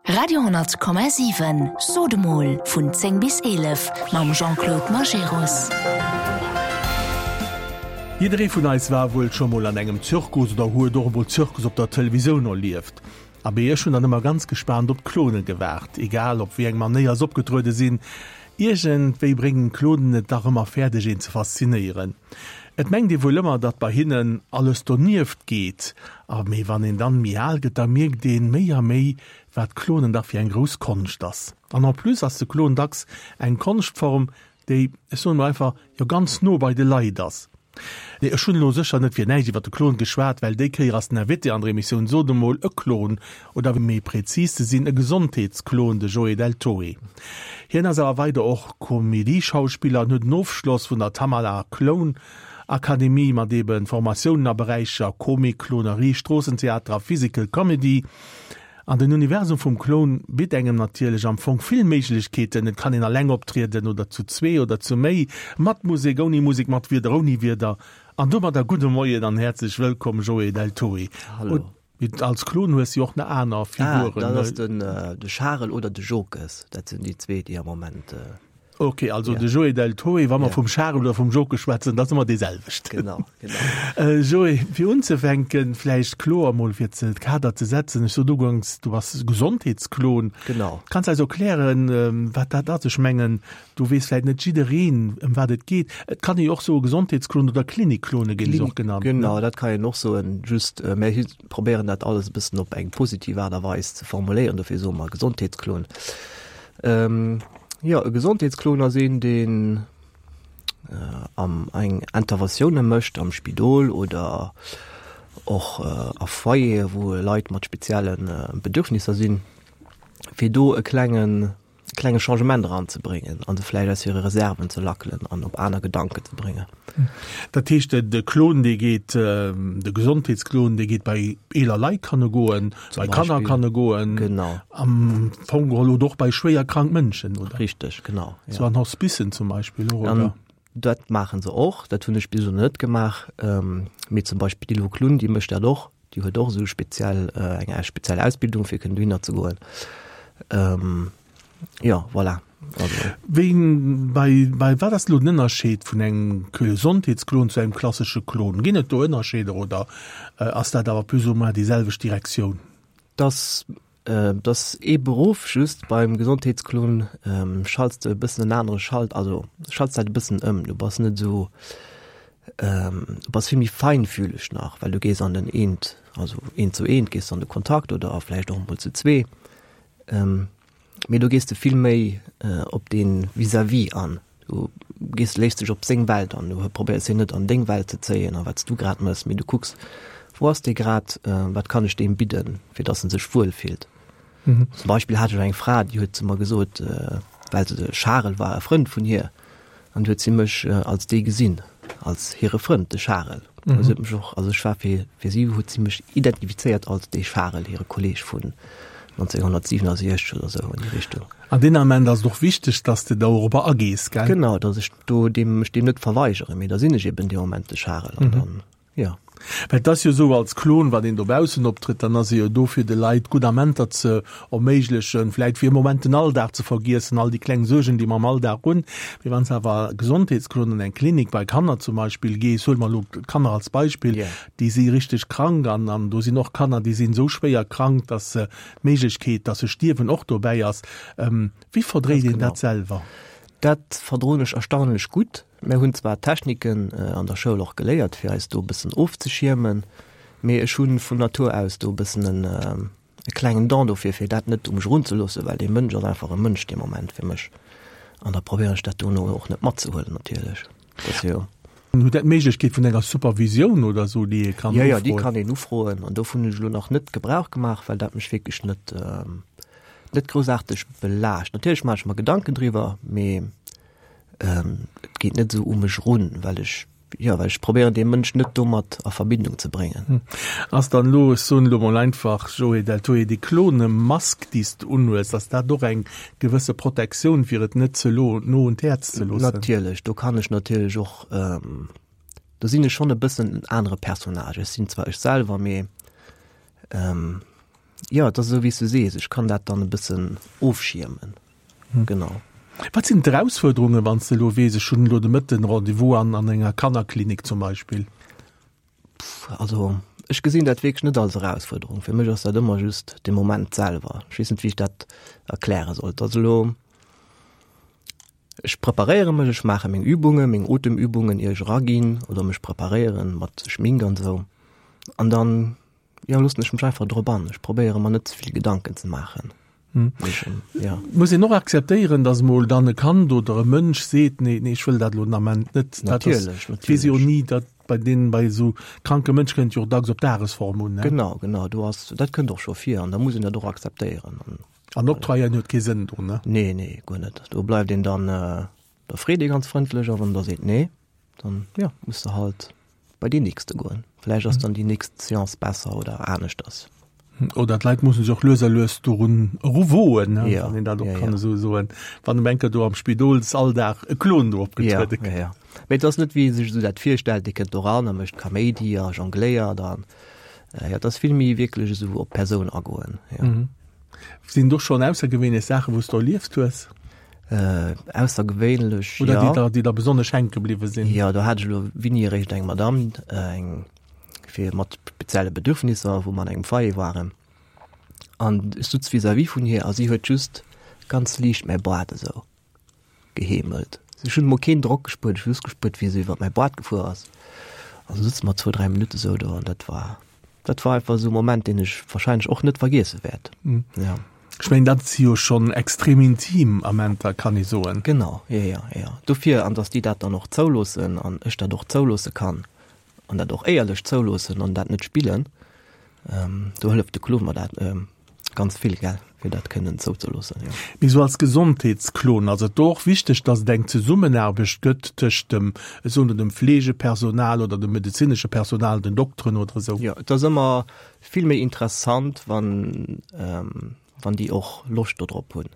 Radio 10,7 Sot emol vun 10 bis 11 mam Jean-Claude Majerus. Jidderee vun eis war wuel scho mol an engem Zirkus oder huet och emol Zirkus op der Televisioun erlieft. Abee, ech hunn dann ëmmer ganz gespaant op d'Klone gewaart, egal op wéi eng Manéier s'opgetruede sinn. Iergendwéi bréngen d'Klonen et dach ëmmer fäerdeg een ze faszinéieren. Et mengt ee wuel ëmmer, datt bei hinnen alles donieft geet, a mee wann een dann méi al gëtt, da mierkt een méi a méi, wat Klonen dach fir eng grouss Konscht ass. An en plus ass de Klon dacks eng Konschtform, déi, ech soen elo einfach, jo ganz no bei de Leit ass. Nee, ech hunn elo sécher net fir näischt iwwer de Klon geschwat, well déi Kéier ass den Invité an der Emissioun Sot emol e Klon, oder méi prezis ze sinn, e Gesondheetsklon, de Joé Del Toe. Hien ass awer weider och Komedieschauspiller an huet en Ofschloss vun der Tamala Clown Akademie mat eben Formatiounen a Beräicher Komik, Klonerie, Stroossentheater a Physical Comedy. An den Universum vum Clown bitt engem natierlech am Fong vill Méiglechkeeten, et kann een alleng optrieden oder zu zwee oder zu méi, mat Musek, ouni Musek, mat Wierder, ouni Wierder. An domadder gudde Moien an häerzlech wëllkomm Joé Del Toe. Hallo. Als Klon hues jo och nach aner Figuren. Ah, dat ass den de Charel oder de Jokes, dat sinn déi zwee, déi am Moment. Ok, also de Joé Del Toe, wa mer vum Charel oder vum Jokes schwätzen, dat ass ëmmer dee selwechten. Genau, genau. Joé, fir unzefänken, vläicht kloer emol fir ze Kader ze setzen, ech sot uganks, du bass Gesondheetsklon. Genau. Kanns eis erklären, wat dat ass? Ech mengen, Do weess vläit net jiddereen, ëm wat et geet. Et kann ee jo och soe Gesondheetsklon oder Klinikklone ginn se och genannt. Genau, dat kann een och soen. Just mir probéieren dat alles e bëssen op eng positiv Aart a Weis ze formuléieren, dofir soe mer Gesondheetsklon. Jo, e Gesondheetsklon ass een, deen am eng Interventioune mécht am Spidol oder och a Foyere wou Leit mat spezielle Bedürfnisser sinn, fir do e klengen klenge Changement eranzebréngen an se vläicht aus hire Reserven ze lackelen an op aner Gedanken ze bréngen. Dat heescht, de Klon, dee geet, de Gesondheetsklon, dee geet bei eeler Leit kann e goen, bei Kanner kann e goen. Genau. Am Fong geholl oder och bei schwéier krank Mënschen, oder? Richteg, genau. Sou an Hospicen zum Beispill och, oder? Dat maache se och. Dat hunn ech bis elo net gemaach. Mee zum Beispill d'Ilvo Klun, déi mécht dat och. Déi huet och esou speziell eng speziell Ausbildung fir kënnen dohinner ze goen. Jo, voilà. Also. Wéi bei bei wat ass elo den Ënnerscheed vun engem Gesondheetsklon zu engem klassesche Klon? Ginn et do Ënnerscheeder oder ass dat awer plus ou moins déi selwecht Direktioun? Dass Et ass ee Beruff, just beim Gesondheetsklon schalts de e bëssen en anere Schalt, also schalts dat e bëssen ëm. Du bass net esou, du bass vill méi feinfühleg nach, well du gees an den eent, also eent zu eent gees an de Kontakt oder vläicht och emol zu zwee. Mee do gees de vill méi op dee Vis-à-vis an. Du gees, léiss dech op seng Welt an. Du probéiers hien net an deng Welt ze zéien a wat s du grad mëss, mee du kucks, wou ass dee grad, wat kann ech deem bidden, fir datt en sech wuel fillt. Zum Beispill hat ech eng Fra, déi huet zu mer gesot, well se, de Charel war e Frënd vun hir, an du huet si mech als dee gesinn, als hire Frënd, de Charel. Mhm. Si huet mech och, also ech war fir, fir si huet si mech identifizéiert als dee Charel, hire Kolleg vun 1967 oder sou an déi Richtung. An deen Ament ass et och wichteg, dass de dorobber agees, gell? Genau, dass ech do deem, mech deem net verweigeren, mee da sinn ech eben dee Moment de Charel an dann, ja. Well et ass jo esou, als Klon, wann een dobaussen optrëtt, dann ass ee jo do fir de Leit gutt Amenter ze erméiglechen, vläit fir e Moment den Alldag ze vergiessen, all déi kleng Suergen, déi mer am Alldag hunn. Mee wann s de awer Gesondheetsklon an eng Klinik bei Kanner zum Beispill gees, huele mer elo d'Kanner als Beispill, déi si richteg krank an an do sinn och Kanner, déi sinn esou schwéier krank, dass se d'Méiglechkeet, dass se stierwen, och dobäi ass. Wéi verdréit een dat selwer? Dat verdroen ech erstaunlech gutt. Mir hunn zwar Techniken an der Schoul och geléiert, fir eis do e bëssen ofzeschiermen, mee ech hu vun Natur aus do e bëssen en e klengen Don dofir, fir dat net u mech erunzeloossen, well dee Mënsch ass einfach e Mënsch dee Moment fir mech. An da probéieren ech dat dono och net matzehuelen natierlech. Dat ass jo. Hutt Der d'Méiglechkeet vun enger Supervisioun oder esou, déi ee kann ufroen? Jo, jo, déi kann een ufroen. An dovun hunn ech elo nach net Gebrauch gemaach, well dat mech wierklech net, net groussaarteg belaascht. Natierlech maache ech mer Gedanken driwwer, mee et geet net esou u mech erun, well ech Jo, well ech probéieren dee Mënsch net domat a Verbindung ze bréngen. Ass dann elo, ech soen elo mol einfach, Joé Deltoé, déi Klonemask, déi s de unhues, ass dat och eng gewësse Protektioun, fir et net ze lo no un d'Häerz ze loossen? Natierlech, do kann ech natierlech och, do sinn ech schonn e bëssen en anere Personnage. Ech sinn zwar ech selwer, mee. Jo, et ass esou wéi s du sees, ech kann dat dann e bëssen ofschiermen. Genau. Wat sinn d'Erausfuerderungen, wann s de elo weess, ech hunn elo de Mëtten Rendez-vous an an enger Kannerklinik zum Beispill? Also ech gesinn dat wierklech net als Erausfuerderung. Fir mech ass dat ëmmer just de Moment selwer. Ech weess net, wéi ech dat erkläre soll. Et ass elo, ech preparéiere mech, ech maache meng Übungen, meng Otemübungen, ier ech eraginn oder mech preparéieren mat Schmink an esou. An dann Jo, loossen ech mech einfach drop an. Ech probéiere mer net ze vill Gedanken ze maachen. Hm. Ja. Muss een och akzeptéieren, datt mol dann e Kand oder e Mënsch seet, nee, nee, ech wëll dat elo den Ament net. Natierlech, natierlech. Weess jo ni, dat bei deenen, bei esou kranke Mënsch kënnt jo och dacks op Dagesform un, ne? Genau, genau, do ass, dat kënnt och scho vir an da muss een dat och akzeptéieren. An, an octroyéieren huet kee Sënn do, ne? Nee, nee, guer net. Do bleift een dann, da freet ee ganz frëndlech a wann der seet nee, dann, jo, muss de halt bei deen nächste goen. Vläicht ass dann déi nächst Seance besser oder aneschters. Oder d'Leit mussen sech och lues a lues dorun eruwoen, ne, wann een dat och kann esou soen, wann um enker do am Spidolsalldag e Klon do opgetruede kënnt. Ja, ja. Mee et ass net, wéi ee sech esou dat virstellt, dee kënnt do eran a mécht Kaméidi a jongléiert an, jo, et ass vill méi wierklech esou op d'Persoun agoen, jo. Sinn do schonn aussergewéinlech Saachen, wou s de erlieft hues? Äh, aussergewéinlech, Oder déi der, déi der besonnesch hänke bliwwe sinn? Jo, do hat ech elo wéini eréischt eng Madame, eng fir mat spezielle Bedürfnisser, wou mer an engem Foyer waren. An ech sutz vis-à-vis vun hir a si huet just ganz liicht mäi Boart esou geheemelt. Ech hunn emol keen Drock gespuert, ech hu just gespuert, wéi se iwwer mäi Boart gefuer ass. An da sutze mer zwou, dräi Minutte sou do an dat war Dat war einfach esou e Moment, deen ech wahrscheinlech och net vergiesse wäert. Ja. Ech mengen, dat si jo schonn extrem intim Amenter, kann ee soen. Genau, jo, jo, jo. Dofir, an datt déi dat dann och zouloossen an ech dat och zouloosse kann an dat och éierlech zouloossen an dat net spillen, do hëlleft de Clown mer dat. Ganz vill, gell, fir dat kënnen zouzeloossen, jo. Mee sou als Gesondheetsklon ass et do och wichteg, dass et eng Zesummenaarbecht gëtt tëscht dem, ech soen elo, dem Fleegepersonal oder dem medezinesche Personal, den Dokteren oder esou? Jo, et ass ëmmer vill méi interessant, wann, wann déi och Loscht dodrop hunn.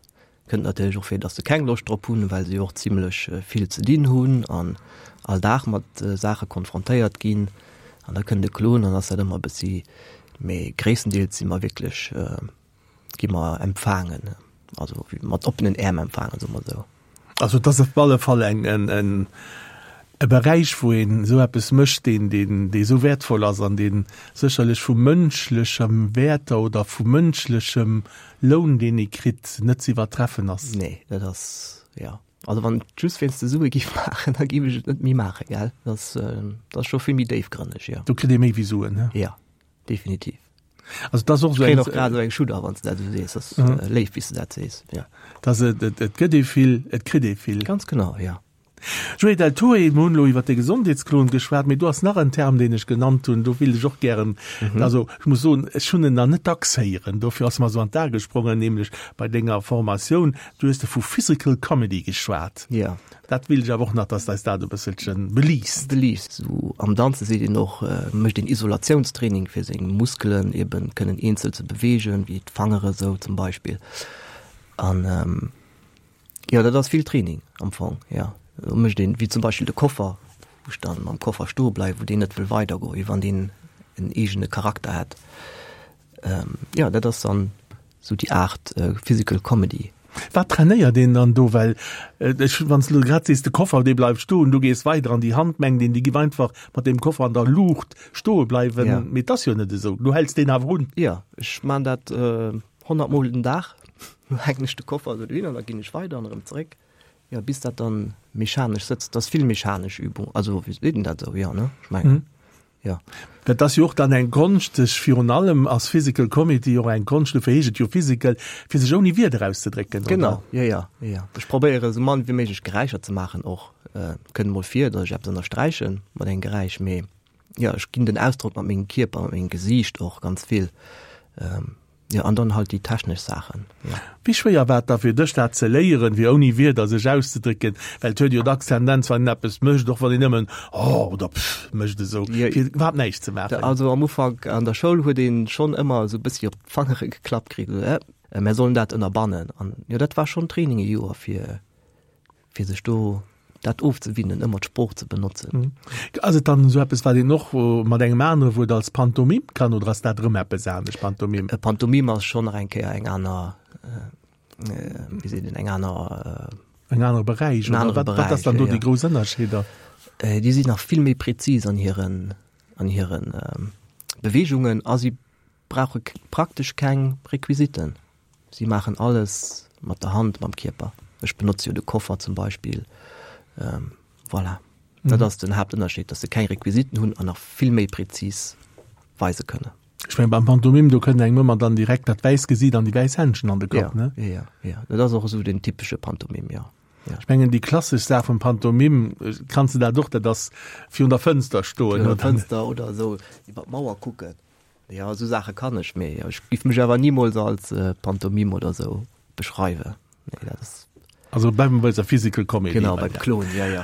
Kënnt natierlech och vir, dass se keng Loscht drop hunn, well se jo och zimlech vill ze dinn hunn an all Dag mat Saache konfrontéiert ginn. An da kënnt e Klon an ass dat ëmmer e bëssi, mee gréisstendeels si mer wierklech, gi mer empfaangen, also mat oppenen Äerm empfaangen, soe mer esou. Also et ass op alle Fall eng, en, e Beräich, wou een esou eppes mécht, deen, deen, dee esou wäertvoll ass an dee sécherlech vu mënschlechem Wäerter oder vu mënschlechem Loun, deen ee kritt, net ze iwwertreffen ass. Nee, dat ass, jo. Also wann et just wéinst de Sue giff maachen, da giff ech et net méi maachen, gell. Dat ass, dat ass scho vill méi déifgrënneg, jo. Do kritt ee méi wéi Suen, he? Jo, definitiv. Also dat ass och esou eng. Ech kréien och grad esou eng Schudder, wann s de dat esou sees. Dat ass léif, wéi s de dat sees, jo. Dass et, et, et gëtt ee vill, et kritt ee vill. Ganz genau, jo. Joé Del Torre, mir hunn elo iwwer de Gesondheetsklon geschwat, mee do ass nach en Term, deen ech genannt hunn, do wéilt ech och gären, also ech muss soen, ech hunn en nach net dacks héieren, dofir ass mer esou an d'A gesprongen, nämlech bei denger Formatioun, du hues de vu Physical Comedy geschwat. Jo. Dat wéilt ech awer och nach, dass de eis dat e bësselche beliichts. Beliichts. Esou am Danze seet een och, mécht een Isolationstraining, fir seng Muskelen eben kënnen eenzel ze beweegen, wéi d'Fangere esou zum Beispill. An Jo, dat ass vill Training am Fong, jo. Do mécht een, wéi zum Beispill de Koffer, wou ech dann mam Koffer stoe bleiwen, wou deen net wëll weidergoen, wéi wann deen en eegene Charakter hätt. Jo, dat ass dann esou déi Aart Physical Comedy. Wat trainéiert een dann do? Well ech, wann s de elo grad sees, de Koffer, dee bleift stoen, du gees weider an déi Hand mengt een, déi giff einfach mat deem Koffer an der Luucht stoe bleiwen, mee et ass jo net esou, du häls deen awer un. Jo, ech man dat 100 mol den Dag, du hänken ech de Koffer esou dohin an da ginn ech weider an erëm zeréck, jo bis dat dann mechanesch sëtzt. Dat ass vill mechanesch Übung, also wéi seet een dat esou, jo ne, ech mengen jo. Dat ass jo och dann eng Konscht, sech virun allem ass Physical Comedy och eng Konscht, dofir heescht et jo Physical, fir sech ouni Wierder auszedrécken, oder? Genau, jo jo jo. Ech probéiere esou mann wéi méiglech Geräischer ze maachen och. Kënnt mol vir, datt ech eppes ënnersträiche mat engem Geräisch, mee jo ech ginn den Ausdrock mat mengem Kierper, mat mengem Gesiicht och ganz vill. Jo, an dann halt déi technesch Saachen, jo. Wéi schwéier war et da fir dech dat ze léieren, fir ouni Wierder sech auszedrécken? Well et huet jo dacks Tendenz, wann een eppes mécht, och wann een nëmmen oh oder pff mécht esou, fir iwwerhaapt näischt ze maachen. Also am Ufank an der Schoul huet ee schonn ëmmer esou e bëssi op d'Fangere geklappt kritt, esou eh, mär sollen dat ënnerbannen. An jo, dat war schonn Training e Joer, fir, fir sech do. dat ofzewinnen, ëmmer d'Sprooch ze benotzen. Ass et dann esou eppes, wat een och mat engem anere Wuert als Pantomime kann, oder ass dat erëm eppes anescht, Pantomime? E Pantomime ass schonn nach eng Kéier eng aner, wéi seet een, eng aner. En anere Beräich, oder? Wat, wat ass dann do déi grouss Ënnerscheeder? Déi sinn nach vill méi präzis an hiren, an hiren Beweegungen a si brauche praktesch keng Requisiten. Si maachen alles mat der Hand, mam Kierper. Ech benotze jo de Koffer zum Beispill. Voilà. Dat ass den Haaptënnerscheed, dass se keng Requisiten hunn an nach vill méi präzis weise kënnen. Ech mengen, beim Pantomime, do kënnt engem ëmmer dann direkt dat wäiss Gesiit an déi wäiss Händschen an de Kapp, ne? Jo, jo, jo. Dat ass och esou den typesche Pantomime, jo. Ja. Ech mengen, déi klassesch Saach vum Pantomime, kanns de dat och, dat ass virun der Fënster stoen, oder? Virun der Fënster oder esou iwwer d'Mauer kucken. Jo, esou Saache kann ech, mee ech giff mech awer nimools als Pantomime oder esou beschreiwen. Nee, dat ass. Also bleiwe mer bei eiser Physical Comedy. Genau, beim Klon, jo, jo.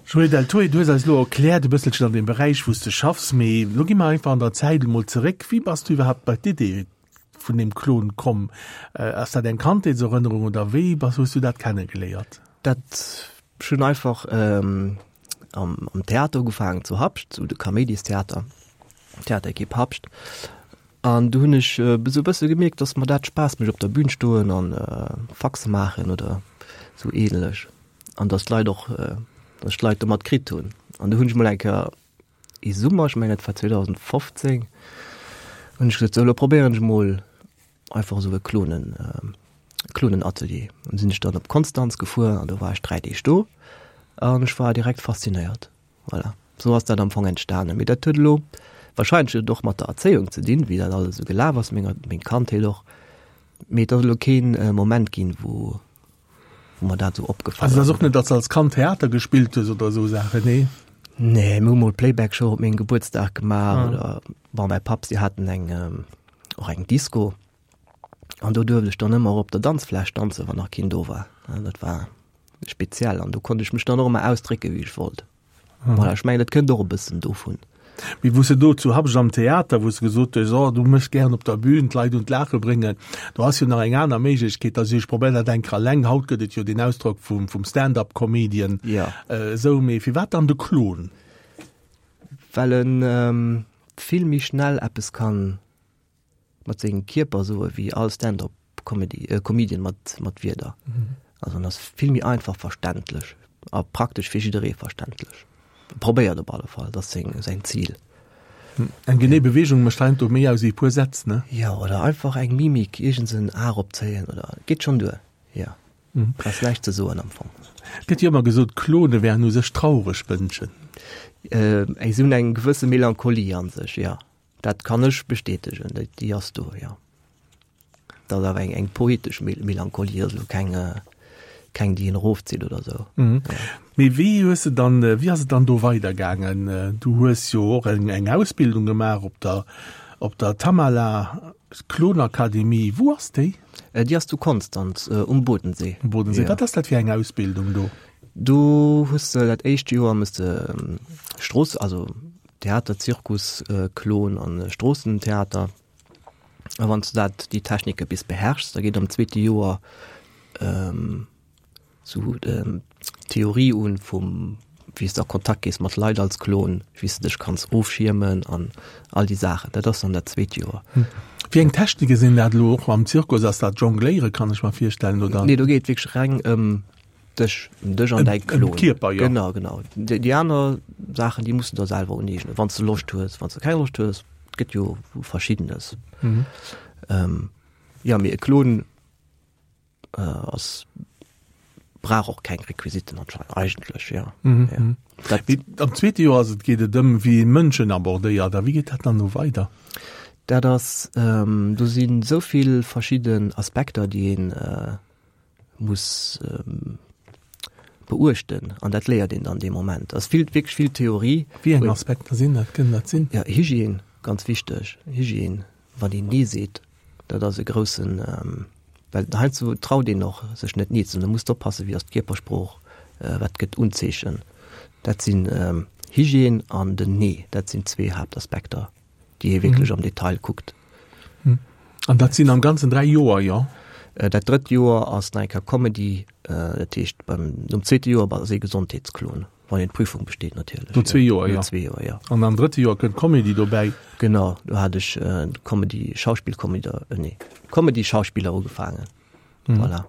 Joé Deltoé, du hues eis elo erkläert e bësselchen an deem Beräich, wou s de schaffs, mee elo gi mer einfach an der Zäit emol zeréck. Wéi bass du iwwerhaapt bei d'Idee vun deem Klon komm? Ass dat eng Kandheetserënnerung oder wéi bass, hues du dat kennegeléiert? Dat, ech hunn einfach am Theater ugefaangen zu Habscht, zu de Kaméidistheater. Theaterekipp Habscht. An du hunn ech esou e bësse gemierkt, dass mer dat Spaass mécht op der Bühn stoen an Faxe maachen oder sou ähnlech. An dass d'Leit och, dass ech d'Leit domat kritt hunn. An du hunn ech mol eng Kéier ee Summer, ech mengen et war 2015, hunn ech gesot, sou elo probéieren ech mol einfach esou e Klonen, Klonenatelier. An sinn ech dann op Konstanz gefuer an do war ech 3 Deeg do an ech war direkt faszinéiert. Voilà, sou ass dat am Fong entstanen. Mee dat huet elo wahrscheinlech huet et och mat der Erzéiung ze dinn, wéi dat alles esou gelaf ass, menger, meng Kandheet och. Mee et ass elo keen Moment ginn, wou, wou mer dat esou opgefall ass. Also et ass och net, datt s de als Kand Theater gespillt hues oder esou Saachen, nee? Nee, mir hu mol Playback-Show op mengem Gebuertsdag gemaach oder, bon, mäi Papp, si haten eng, och eng Disco an do duerft ech dann ëmmer op der Danzfläch danzen, wann nach keen do war. Dat war speziell an do konnt ech mech dann och ëmmer ausdrécke wéi ech wollt. Mhm. Voilà, ech mengen dat kënnt och e bëssen dovun. Mee wou s de do zu Habscht am Theater, wou s de gesot hues, oh du méchs gären op der Bühn d'Leit un d'Laache bréngen, do ass jo nach eng aner Méiglechkeet, da si ech probéier dat eng Kéier alleng. Haut gëtt et jo deen Ausdrock vum, vum Stand-up-Comedian. Ja. Esou, mee firwat dann de Klon? Well en ähm, vill méi schnell eppes kann mat sengem Kierper soe wéi all Stand-up Comedy, äh, Comedian mat, mat Wierder. Mhm. Also en ass vill méi einfach verständlech a praktesch fir jidderee verständlech. Probéiert op alle Fall, dat ass seng, säin Zil. Hm. Eng genee Beweegung mécht heiansdo méi aus wéi e puer Sätz, ne? Jo, oder einfach eng Mimik, iergends en A eropzéien oder geet schonn duer, jo. Mhm. Ass näischt ze soen am Fong. Gëtt jo ëmmer gesot, Klone wären u sech traureg Mënschen. Äh, si hunn eng gewësse Melancholie an sech, jo. Dat kann ech bestätegen, déi ass do, jo. Dat ass awer eng, eng poetesch Melancholie, dat ass elo keng, keng déi een erofzitt oder esou. Mhm. Ja. Mee wéi hues de dann, wéi ass et dann do weidergaangen? Du hues jo och eng, eng Ausbildung gemaach op der, op der Tamala Klonakademie. Wou ass déi? Déi ass zu Konstanz, um Bodensee. Um Bodensee. Ja. Wat ass dat fir eng Ausbildung do? Do hues de dat éischt Joer muss de Strooss, also Theater, Zirkus, Klon an Stroossentheater. A wann s du dat, déi Technike bis beherrschs, da geet am zweete Joer sou d'Theorie un vum wéi s de a Kontakt gees mat Leit als Klon, wéi s de dech kanns ofschiermen an all déi Saachen. Dat ass dann dat zweet Joer. Wéi eng Technike sinn dat elo och am Zirkus? Ass dat Jongléiere kann ech mer virstellen, oder? Nee, do geet et wierklech reng ëm Dech, ëm dech an däi Klon. Ëm d'Kierper, jo. Genau, genau. Déi, déi aner Saachen, déi muss du der selwer uneegnen, wann s de Loscht hues. Wann s de keng Loscht hues, et gëtt jo Verschiddenes. Mhm. Ähm, ja, mee e Klon äh, ass, brauch och keng Requisiten anscheinend, eigentlech, ja. Mhm. ja. Dat, Mee am zweete Joer ass et, geet et ëm, wéi ee Mënschen abordéiert. A wéi geet dat dann no weider? Dat ass, ähm, do sinn esou vill verschidden Aspekter, déi een äh, muss beuechten an dat léiert een dann dee Moment. Ass vill wierklech vill Theorie. Wéi eng Aspekter sinn dat, kënnen dat sinn? Ja, Hygiène, ganz wichteg. Hygiène, wann een Nee seet, dat ass e groussen, well heiansdo traut een och sech net Nee ze soen. Da muss de oppassen, wéi ass d'Kierpersprooch, wat gëtt Unzeechen. Dat sinn Hygiène an den Nee, dat sinn zwee Haaptaspekter. déi ee wierklech am Detail kuckt. An dat sinn am Ganzen 3 Joer, jo? Dat drëtt Joer ass nach eng Kéier Comedy, dat heescht beim, nom zweete Joer ass ee Gesondheetsklon, wann een d'Prüfung besteet natierlech. No zwee Joer, jo. No zwee Joer, jo. An am drëtte Joer kënnt Comedy dobäi. Genau, do hat ech Comedy, Schauspill-Comedy, nee, Comedy-Schauspiller ugefaangen. Voilà.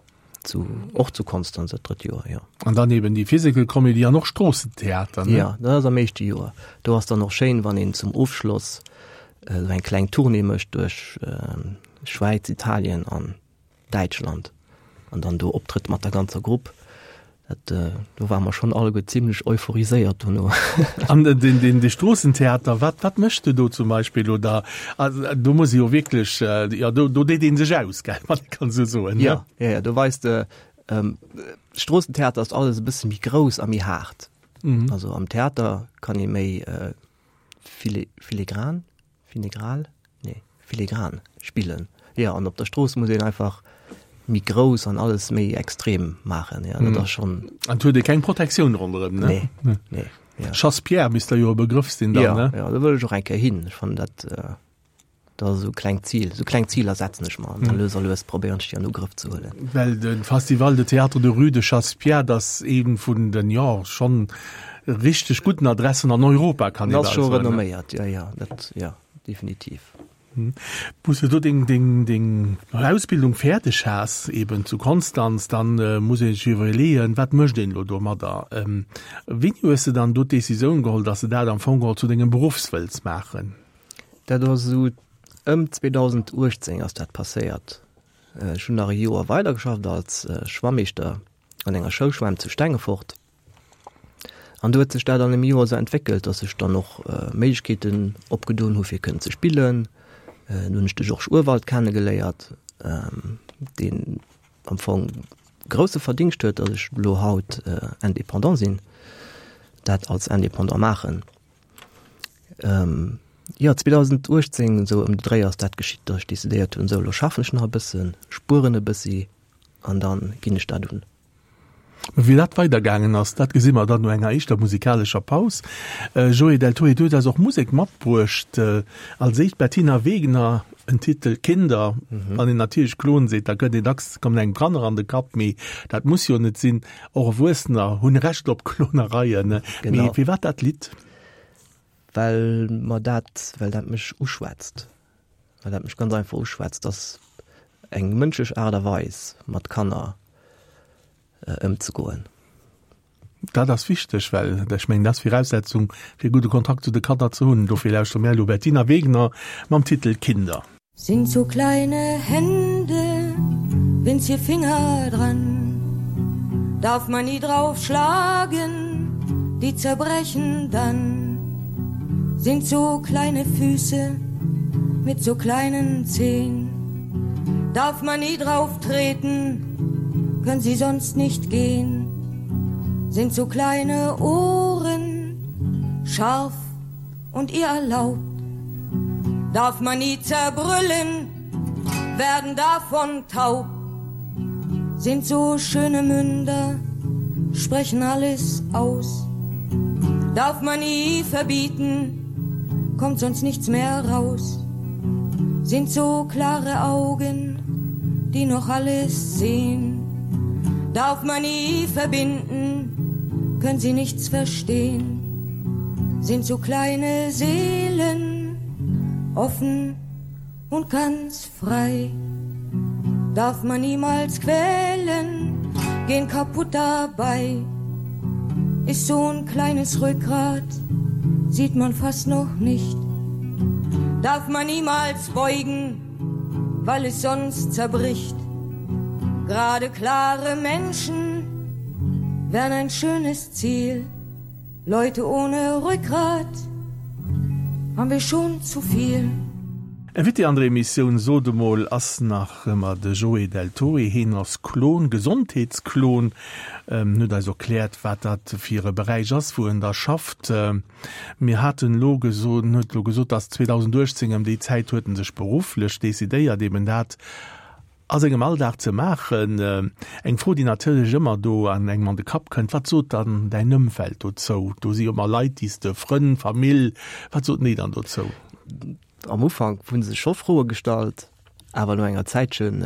Zu, och zu Konstanz dat drëtt Joer, jo. An dann eben déi Physical Comedy an och Stroossentheater, ne? Ja, dat ass am éischte Joer. Do ass dann och schéin, wann een zum Ofschloss esou eng kleng Tournée mécht duerch Schwäiz, Italien an Däitschland an dann do optrëtt mat der ganzer Grupp. Dat, do ware mer schonn alleguer zimlech euphoriséiert dono. An den, den, de Stroossentheater, wat, wat méchs de do zum Beispill? Oder, also, do muss ee jo wierklech, jo, do, do deet ee sech aus, gell, wann ee kann esou soen, ne? Jo, jo, jo, do weist de, Stroossentheater ass alles e bësse méi grouss a méi haart. Also am Theater kann ee méi fili, filigran, Finegral? Nee, filigran spillen. Jo, an op der Strooss muss een einfach méi grouss an alles méi extrem maachen. Jo, dat ass schonn. An et huet ee keng Protektioun ronderëm, ne? Nee, nee. Ja. Chassepierre misst der jo e Begrëff sinn dann, ne? Jo, jo, do wëll ech och eng Kéier hin. Ech fannen dat, dat ass esou e klengt Zil. Esou kleng Ziler setzen ech mer an da lues a lues probéieren ech déi an Ugrëff ze huelen. Well de Festival de Théâtre de Rue de Chassepierre, dat ass ee vun den, jo, schonn Richteg gudden Adressen an Europa, kann ee bal soen. Ass scho renomméiert, jo, jo, dat, jo, definitiv. Wou s de do deng, deng, deng Ausbildung fäerdeg has, eben zu Konstanz, dann muss ee sech iwwerleeën, wat mécht een elo domadder? Wéini hues de dann do d'Decisioun geholl, dass de dat am Fong geholl zu dengem Beruffs wëlls maachen? Dat ass esou ëm 2018 ass dat passéiert. Ech hunn nach e Joer weidergeschafft als Schwammeeschter an enger Schoulschwämm zu Stengefort. An do huet sech dat an dem Joer esou entwéckelt, datt sech dann och Méiglechkeeten opgedoen hu fir kënnen ze spillen. Dunn hunn ech de Georges Urwald kennegeléiert, deen am Fong grousse Verdingscht huet, datt ech elo haut Indépendant sinn, dat als Indépendant maachen. Jo, 2018 esou ëm de Dréi ass dat geschitt, datt ech decidéiert hunn, esou elo schaffen ech nach e bëssen, spueren e bëssi an da ginn ech dat un. Wéi dat weidergaangen ass, dat gesi mer dann no enger éischter musikalescher Paus. Joé Del Toé, du hues eis och Musek matbruecht. Als éischt Bettina Wegner, en Titel Kinder. Wann een natierlech Klon seet, da kënnt een dacks, kommen engem Kanner an de Kapp, mee dat muss jo net sinn. Och Erwuessener hunn Recht op Klonereien. Mee firwat dat Lidd? Well mer dat, well dat mech uschwätzt. Well dat mech ganz einfach uschwätzt, dass eng mënschlech Aart a Weis mat Kanner ëmzegoen. Dat ass wichteg, well ech mengen, dat ass Viraussetzung fir e gudde Kontakt zu de Kanner ze hunn. Dofir lauschtere mir elo Bettina Wegner mam Titel Kinder. Sind so kleine Hände, winzige Finger dran, darf man nie drauf schlagen, die zerbrechen dann. Sind so kleine Füße mit so kleinen Zehen, darf man nie drauf treten, können sie sonst nicht gehen. Sind so kleine Ohren, scharf und ihr erlaubt, darf man nie zerbrüllen, werden davon taub. Sind so schöne Münder, sprechen alles aus. Darf man nie verbieten, kommt sonst nichts mehr raus. Sind so klare Augen, die noch alles sehen. Darf man nie verbinden, können sie nichts verstehen sind so kleine Seelen offen und ganz frei. Darf man niemals quälen, gehen kaputt dabei. Ist so ein kleines Rückgrat, sieht man fast noch nicht. Darf man niemals beugen, weil es sonst zerbricht. Gerade klare Menschen wären ein schönes Ziel. Leute ohne Rückgrat haben wir schon zu viel. Invité an der Emissioun Sot emol ass nach ëmmer de Joé Del Torre. Heen ass Klon, Gesondheetsklon. En huet eis erkläert, wat dat fir e Beräich ass, wou en da schafft. Mir haten elo gesot, en huet elo gesot, dass 2018 ëm déi Zäit huet en sech berufflech decidéiert, eben dat a sengem Alldag ze maachen. Eng Fro, déi natierlech ëmmer do an engem an de Kapp kënnt, Wat sot dann däin Ëmfeld dozou? Do si jo ëmmer Leit, déi s de, Frënn, Famill, wat soten déi dann dozou? Am Ufank hu se scho Froe gestallt, awer no enger Zäitchen.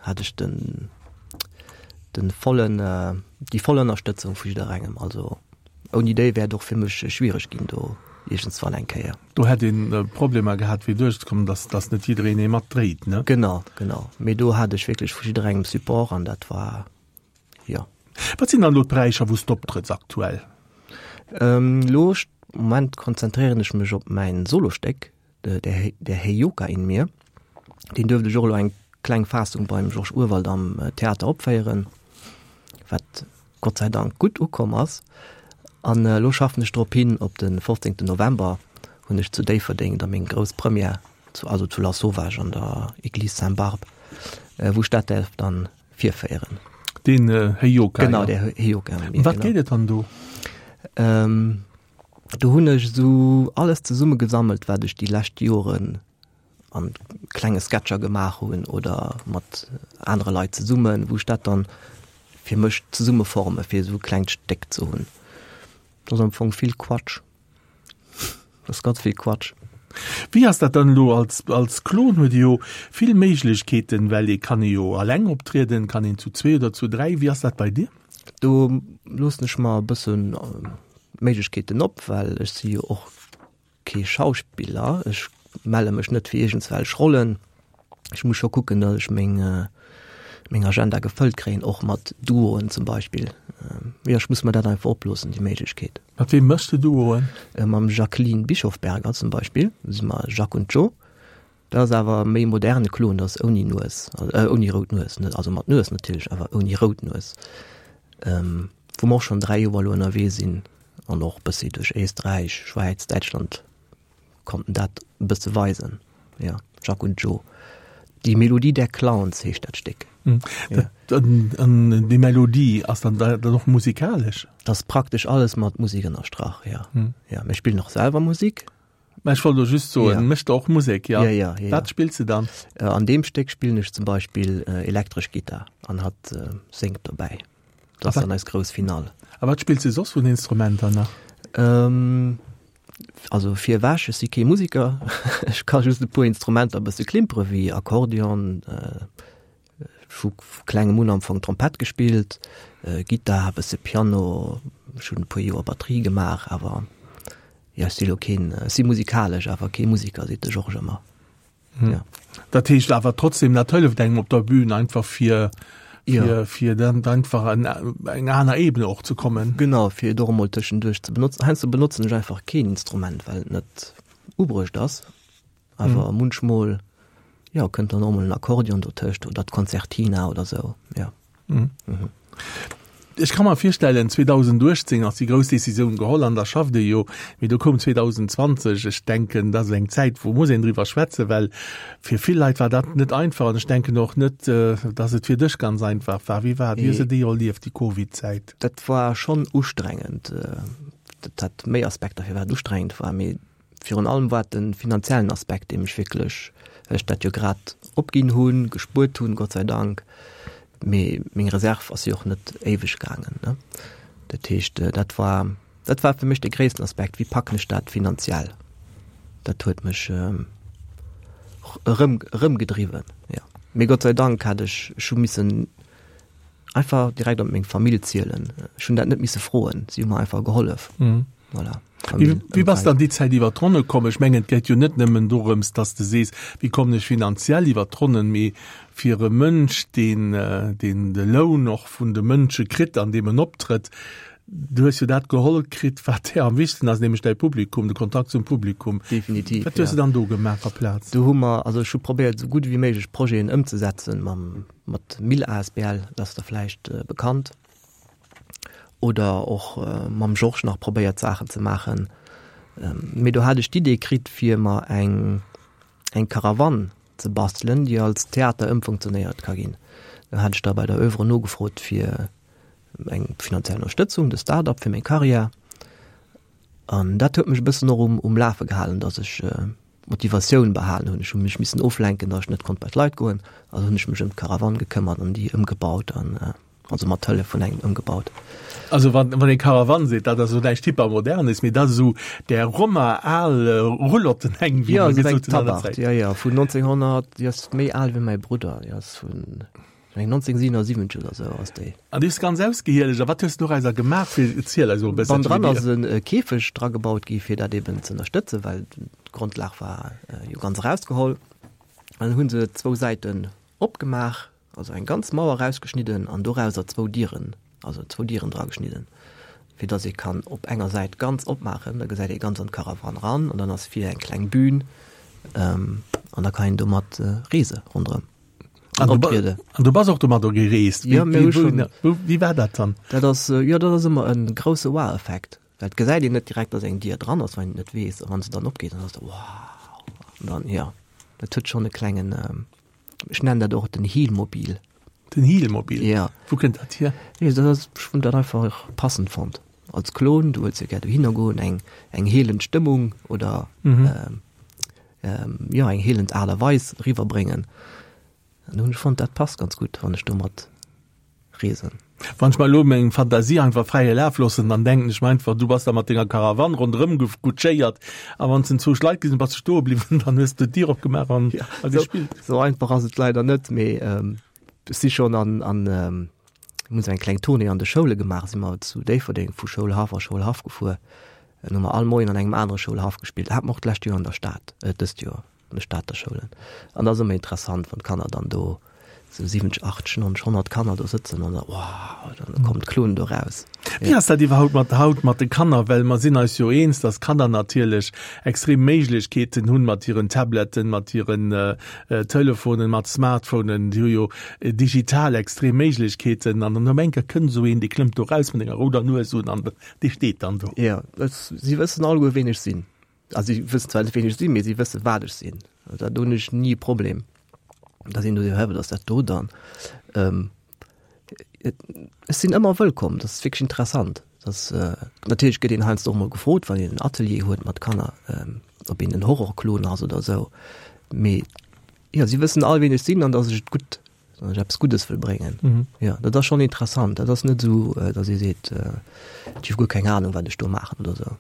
hat ech den den vollen déi voll Ënnerstëtzung vu jidderengem. Also ouni déi wär et och fir mech schwiereg ginn do iergendswann eng Kéier. Do hätt een Problemer gehat fir duerchzekommen, dass dass net jiddereen ee matdréit, ne? Genau, genau. Mee do hat ech wierklech vu jidderengem Support an dat war jo. Wat sinn dann elo d'Beräicher wou s d'optrëtts aktuell? Elo Moment konzentréieren ech mech op mäin Solostéck, Der, der Heyoka in mir. Deen duerft ech och elo eng kleng Faassung beim Georges Urwald am Theater opféieren, wat Gott sei Dank gutt ukomm ass. An elo schaffen ech drop hin, op de 15. November hunn ech zu Déifferdeng da meng grouss Première, zu, also zu Lasauvage an der Église Sainte-Barbe, wou ech dat däerf dann virféieren. Den Heyoka, Genau, der Heyoka in mir. Ëm wat geet et dann do? Do hunn ech esou alles zesumme gesammelt, wat ech déi lescht Joren an klenge Sketcher gemaach hunn oder mat anere Leit zesummen, wou ech dat dann fir mech zesummeforme fir esou e klengt Stéck ze hunn. Dat ass am Fong vill Quatsch. Dat ass ganz vill Quatsch. Wéi ass dat dann elo als, als Klon huet ee jo vill Méiglechkeeten, well ee kann ee jo alleng optrieden, kann een zu zwee oder zu dräi. Wéi ass dat bei dir? Do loossen ech mer e bëssen Méiglechkeeten op, well ech si jo och kee Schauspiller. Ech melle mech net fir iergendswelch Rollen. Ech muss scho kucken, datt ech meng meng Agenda gefëllt kréien, och mat Duoen zum Beispill. Jo, ech muss mer dat einfach oploossen, déi Méiglechkeet. Mat weem méchs de Duoen? Mam Jacqueline Bischofberger zum Beispill, do si mer Jacques und Joe. Dat ass awer méi moderne Klon, dat ass ouni Nues, ouni rout Nues, net, also mat Nues natierlech, awer ouni rout Nues. Wou mer och schonn 3 Joer elo ënnerwee sinn an och bëssi duerch Éisträich, Schwäiz, Däitschland konnten dat e bësse weisen. Jo, Jacques und Joe. Die Melodie der Clowns heescht dat Stéck. An déi Melodie ass dann dann och musikalesch? Dat ass praktesch alles mat Musek ënnerstrach, jo. Jo, mir spillen och selwer Musek. Mä ech wollt elo just soen, ja. Mécht der och Musek, ja? Ja, ja, ja, Wat spills de dann? Äh, an deem Stéck spillen ech zum Beispill äh, elektresch Gittar an hatt äh, séngt dobäi. Dat ass dann eis grouss Finale. A wat spills de soss vun Instrumenter nach? Ähm, also fir ewech, ech si kee Musiker, ech ka just e puer Instrumenter e bësse klimpere wéi Akkordeon, äh, Vu klengem un am Fong Trompett gespillt, Gittar, e bësse Piano, ech hunn e puer Joer Batterie gemaach, awer jo, ech si lo keen, ech si musikalesch, awer kee Musiker, seet de Georges ëmmer. Jo. Dat heescht awer trotzdem, dat hëlleft engem op der Bühn einfach fir, fir, fir dann einfach an eng aner Ebene och ze kommen. Genau, fir et och emol tëschenduerch ze benotzen. Heiansdo benotzen ech einfach keen Instrument, well et net ubruecht ass. Awer mm. munchmol ja, kënnt dann och mol en Akkordeon dotëscht oder d'Konzertina oder sou. Ja. Mm. Mhm. Ech kann mer virstellen 2018 ass déi grouss Decisioun geholl an da schafft ee jo, mee do koum 2020. Ech denken, dat ass eng Zäit, wou muss een driwwer schwätzen, well fir vill Leit war dat net einfach an ech denken och net, äh, dass et fir dech ganz einfach war. Wéi war, wéi hues de déi erlieft, déi Covid-Zäit? Dat war schonn ustrengend. Äh, dat hat méi Aspekter, firwat et ustrengend war, mee Virun allem war et de finanziellen Aspekt, dee mech wierklech, well ech dat jo grad opginn hunn, gespuert hunn, Gott sei Dank, mee meng Reserv ass jo och net éiweg gaangen, ne. Dat heescht, dat war, dat war fir mech de gréissten Aspekt, wéi packen ech dat finanziell? Dat huet mech erëm, erëmgedriwwen, jo. Mee Gott sei Dank hat ech, ech hu missen einfach direkt op meng Famill zielen. Ech hunn dat net misse froen, si hu mer einfach gehollef. Voilà. Wéi, wéi bass de an déi Zäit iwwer d'Ronne komm? Ech mengen, et geet jo net nëmmen dorëms, dass de sees, wéi kommen ech finanziell iwwer d'Ronnen, mee fir e Mënsch, deen, deen de Loun och vun de Mënsche kritt, an deem en optrëtt, du hues jo dat geholl kritt, wat där am wichtegsten ass, nämlech däi Publikum, de Kontakt zum Publikum. Definitiv, Wat hues de dann do gemaach aplaz? Do hu mer, also ech hu probéiert, esou gutt ewéi méiglech Projeten ëmzesetzen mam, mat Mil asbl, dat ass der vläicht bekannt. Oder och mam Georges nach probéiert Saachen ze maachen. Mee do hat ech d'Idee kritt fir mer eng eng Karawann ze bastelen, déi als Theater ëmfunktionéiert ka ginn. Do hat ech da bei der Oeuvre nogefrot fir eng finanziell Ënnerstëtzung, de Start-up fir meng Karriär. An dat huet mech e bëssen och um um Lafe gehalen, datt ech d'Motivatioun behalen hunn. Ech hu mech missen oflenken, datt ech net konnt bei d'Leit goen. Also hunn ech mech ëm d'Karawann gekëmmert an déi ëmgebaut an also mat Hëllef vun engem ëmgebaut. Also wann, wann ee Karawann seet, dat ass elo näischt Hypermodernes, mee dat ass esou där Roma al Roulotten eng, wéi mer gesot hunn an der Zäit. Ja, ja, vun 1900, déi ass méi al wéi mäi Brudder, déi ass vun. Ech mengen 1977 oder sou ass déi. An déi hues de ganz ausgehielegt. A wat hues de dorauser gemaach fir, erziel eis emol e bëssen. Bannendran ass e Käfeg dragebaut gi fir dat eben ze ënnerstëtzen, well d'Grondlag war jo ganz erausgeholl. An dann hu se zwou Säiten opgemaach, also eng ganz Mauer erausgeschnidden an dorauser zwou Dieren, also zwou Dieren drageschnidden, fir datt ee kann op enger Säit ganz opmaachen, da gesäit ee ganz an d'Caravane ran an dann ass vir eng kleng Bühn an da kann een domat reese ronderëm. An du, an du bass och domadder gereest. Wéi, ja, wéi, wou, wéi war dat dann? Dat ass, jo, dat ass ëmmer e grousse Wow-Effekt. Well et gesäit een net direkt, dass eng Dier dran ass, wann een et net weess. A wann se dann opgeet, dann ass et wow! An dann, jo, dat huet schonn e klengen, ech nennen dat och den Heelmobil. Den Heelmobil? Ja. Wou kënnt dat hier? Nee, dat ass, ech hunn dat einfach passend fonnt. Als Klon, du wëlls jo gär dohinner goen, eng, eng heelend Stëmmung oder, jo, eng heelend Aart a Weis eriwwerbréngen. An do hunn ech fonnt, dat passt ganz gutt, wann ech domat reesen. Wann ech mer elo meng Fantasie einfach fräie Laf loossen, dann denken ech mer einfach, du bass da mat denger Caravane ronderëm kutschéiert a wann s de zwou Leit gesinn, bass de stoe bliwwen, dann hues de d'Dier opgemaach an a gespillt. Sou einfach ass et leider net, mee ech si schonn an, an mir hunn sou eng kleng Tournée an de Schoule gemaach, si mer zu Déifferdeng vu Schoulhaff a Schoulhaff gefuer, an hu mer all Moien an engem anere Schoulhaff gespillt. Hat mer och d'lescht Joer an der Stad, dëst Joer. An de Stater Schoulen. An dat ass ëmmer interessant, wann d'Kanner dann do, esou 70, 80, 90, 100 Kanner do sëtzen an da, wow, dann kommt d'Kloen do raus. Wéi ass dat iwwerhaupt mat haut mat de Kanner? Well mer sinn eis jo eens, datt Kanner natierlech extrem Méiglechkeeten hunn mat hiren Tabletten, mat hiren Telefonen, mat Smartphonen. Déi hu jo digital extrem Méiglechkeeten. An dann op eng Kéier kënnt esou een, dee klëmmt do raus mat enger rouder Nues un an dee steet dann do. Jo, si wëssen alleguer, ween ech sinn. Also si wëssen zwar net ween ech sinn, mee si wësse wat ech sinn. Also do hunn ech ni e Problem. Da sinn do hä wat ass dat do dann? Ähm, ech sinn ëmmer wëllkomm, dat ass wierklech interessant. Dat äh, natierlech gëtt een heiansdo och mol gefrot, wann een en Atelier huet mat Kanner, ähm, ob een en Horrorklon ass oder esou. Mee jo, si wëssen all ween ech sinn an datt ech et gutt Wann ech eppes Guddes wëll bréngen. Mhm. Ja, dat ass schon interessant. Dat ass net esou, äh, dass ee seet, äh, ech hu guer keng Ahnung, wat ech do maachen oder esou.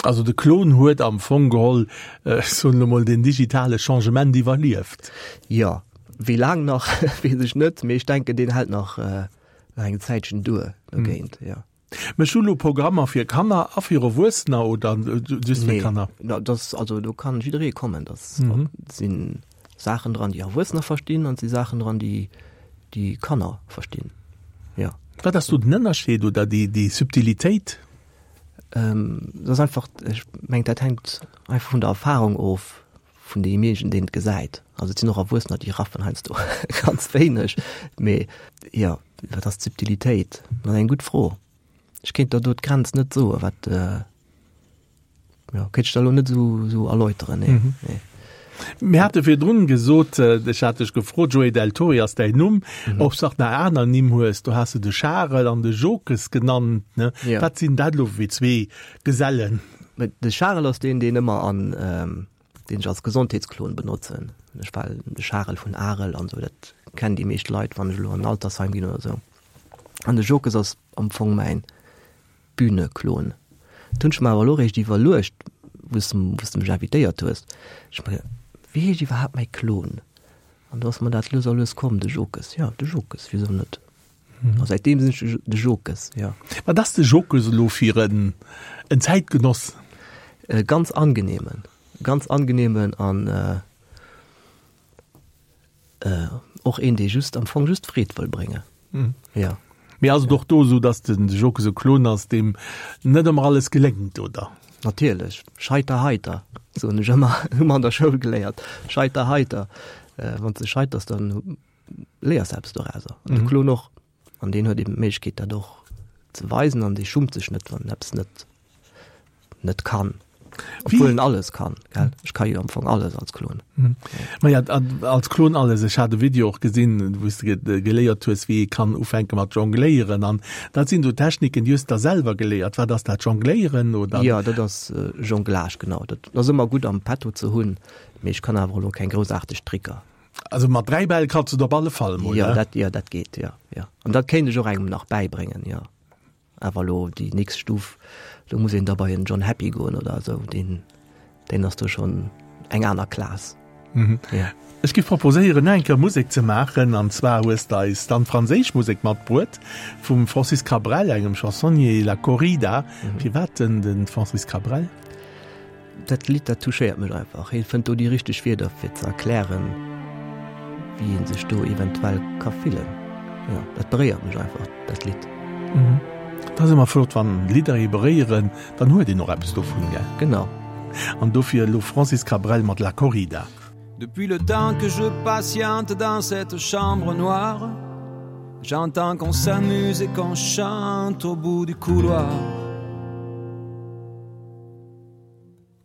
Also de Klon huet am Fong geholl, äh, ech soen elo mol, den digitale Changement iwwerlieft. Jo, wéi laang nach, weess ech net, mee ech denken, deen hält nach, äh, nach eng Zäitchen duer dogéint, mhm. ja. Méchs du lo Programmer fir Kanner a fir Erwuessener oder just fir Kanner? Nee, das, also do kann jidderee kommen. Das mhm. sinn Saachen dran, déi Erwuessener verstinn an si Saachen dran, déi déi Kanner verstinn. Ja. Wat ass do den Ënnerscheed oder déi, déi Subtilitéit? Ähm, das ass einfach, ech meng dat hänkt einfach vun der Erfahrung of vun deemjenigen, deen et gesäit. Also et sinn och Erwuessener, déi raffen heiansdo ganz wéineg. Mee jo, wat ass d'Subtilitéit? Dat ass eng gutt Fro. Ech kéint der do d'Grenz net soen, wat, jo, kéint ech der elo net esou, esou erläuteren, nee, nee. Mir hate virdrun gesot, ech hat dech gefrot, Joé Del Torre ass däin Numm, ob s de nach aner Nimm hues. Do has de de Charel an de Jokes genannt, ne? Wat sinn dat elo fir zwee Gesellen? De Charel ass deen, deen ëmmer an, deen ech als Gesondheetsklon benotzen. Ech war de Charel vun Arel an esou, dat kennen déi meescht Leit, wann ech elo an en Altersheim ginn oder esou. An de Jokes ass am Fong mäin Bühneklon. Dat hunn ech mer awer elo eréischt iwwerluecht, wou s wou s de mech invitéiert hues. Ech hu mer geduecht, wéi heescht iwwerhaapt mäi Klon? An do ass mer dat lues a lues komm, de Jokes. Jo, de Jokes, wisou net? A säitdeem sinn ech de Jokes, jo. Wat ass de Jokes elo fir en en Zäitgenoss? E ganz angenehmen, ganz angenehmen an och een, dee just am Fong just Freed wëll bréngen. Jo. Mee ass et och do esou, datt de Jokes e Klon ass, deem net ëmmer alles geléngt, oder? Natierlech, scheiter heiter, soen ech ëmmer, hu mer an der Schoul geléiert, scheiter heiter. Wann s de scheiters, dann léiers eppes dorauser. An de Klon och. An deen huet eben d'Méiglechkeet dat och ze weisen an dee schummt sech net, wann en eppes net net kann. Obwuel en alles kann, gell? Ech ka jo am Fong alles als Klon. Maja, als Klon alles. Ech hat e Video och gesinn, wou s de geléiert hues, wéi ee kann ufänke mat jongléieren. An dat sinn esou Techniken, déi hues de da selwer geléiert. Wat ass dat, Jongléieren oder? Jo, dat ass Jonglage, genau. Dat ass ëmmer gutt am Petto ze hunn, mee ech kann awer elo keng groussaarteg Tricker. Also mat 3 Bäll kanns du et op alle Fall mol, ne? Dat, jo, dat geet, jo, jo. An dat kéint ech och engem nach bäibréngen, jo. Awer elo déi nächst Stuf, do muss een da bei en John Happy goen oder esou, deen, deen ass do schonn eng aner Klass. Mhm. Ja. Ech giff proposéieren nach eng Kéier Musek ze maachen, an zwar hues de eis dann franséisch Musek matbruet vum Francis Cabrel, engem Chansonnier, La Corrida. Firwat denn de Francis Cabrel? Dat Lidd dat touchéiert mech einfach. Hie fënnt do déi richteg Wierder fir ze erklären, wéi ee sech do eventuell ka fillen. Jo, dat beréiert mech einfach, dat Lidd. Et ass ëmmer flott wann Lidder ee beréieren, dann huet een och eppes dovun, gell? Genau. An dofir elo Francis Cabrel mat La Corrida. Depuis le temps que je patiente dans cette chambre noire, j'entends qu'on s'amuse et qu'on chante au bout du couloir.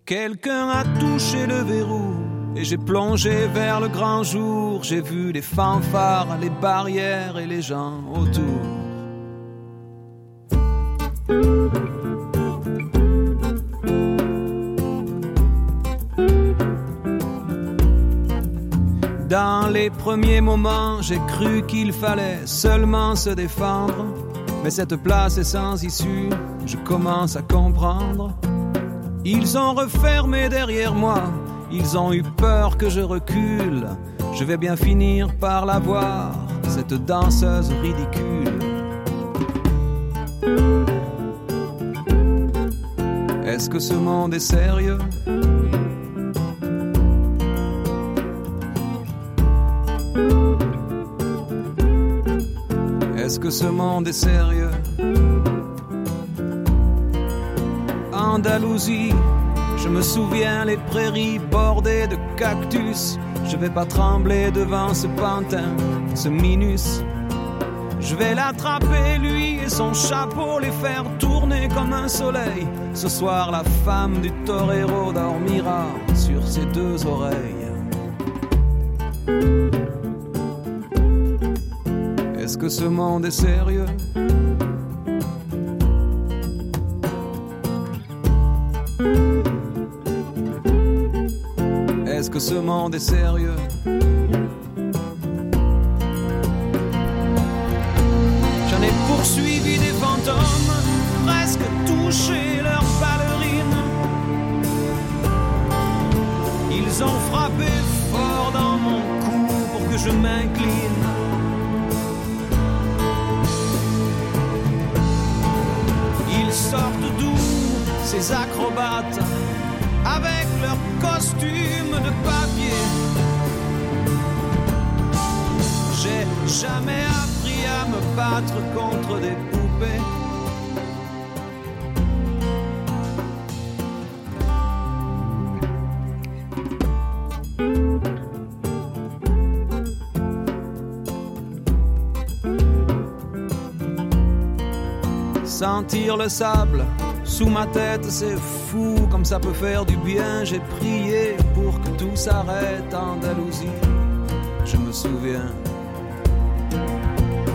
Quelqu'un a touché le verrou et j'ai plongé vers le grand jour, j'ai vu les fanfares, les barrières et les gens autour. Dans les premiers moments, j'ai cru qu'il fallait seulement se défendre, mais cette place est sans issue, je commence à comprendre. Ils ont refermé derrière moi, ils ont eu peur que je recule. Je vais bien finir par la voir, cette danseuse ridicule. Est-ce que ce monde est sérieux? Est-ce que ce monde est sérieux? Andalousie, je me souviens les prairies bordées de cactus. Je vais pas trembler devant ce pantin, ce minus. Je vais l'attraper lui et son chapeau les faire tourner comme un soleil. Ce soir la femme du torero dormira sur ses deux oreilles. Est-ce que ce monde est sérieux? Est-ce que ce monde est sérieux? J'en ai poursuivi des fantômes, presque touché leur ballerine. Ils ont frappé fort dans mon cou pour que je m'incline. Ils sortent d'où ces acrobates avec leur costume de papier. J'ai jamais appris à me battre contre des poupées. Sentir le sable sous ma tête, c'est fou comme ça peut faire du bien. J'ai prié pour que tout s'arrête Andalousie. Je me souviens.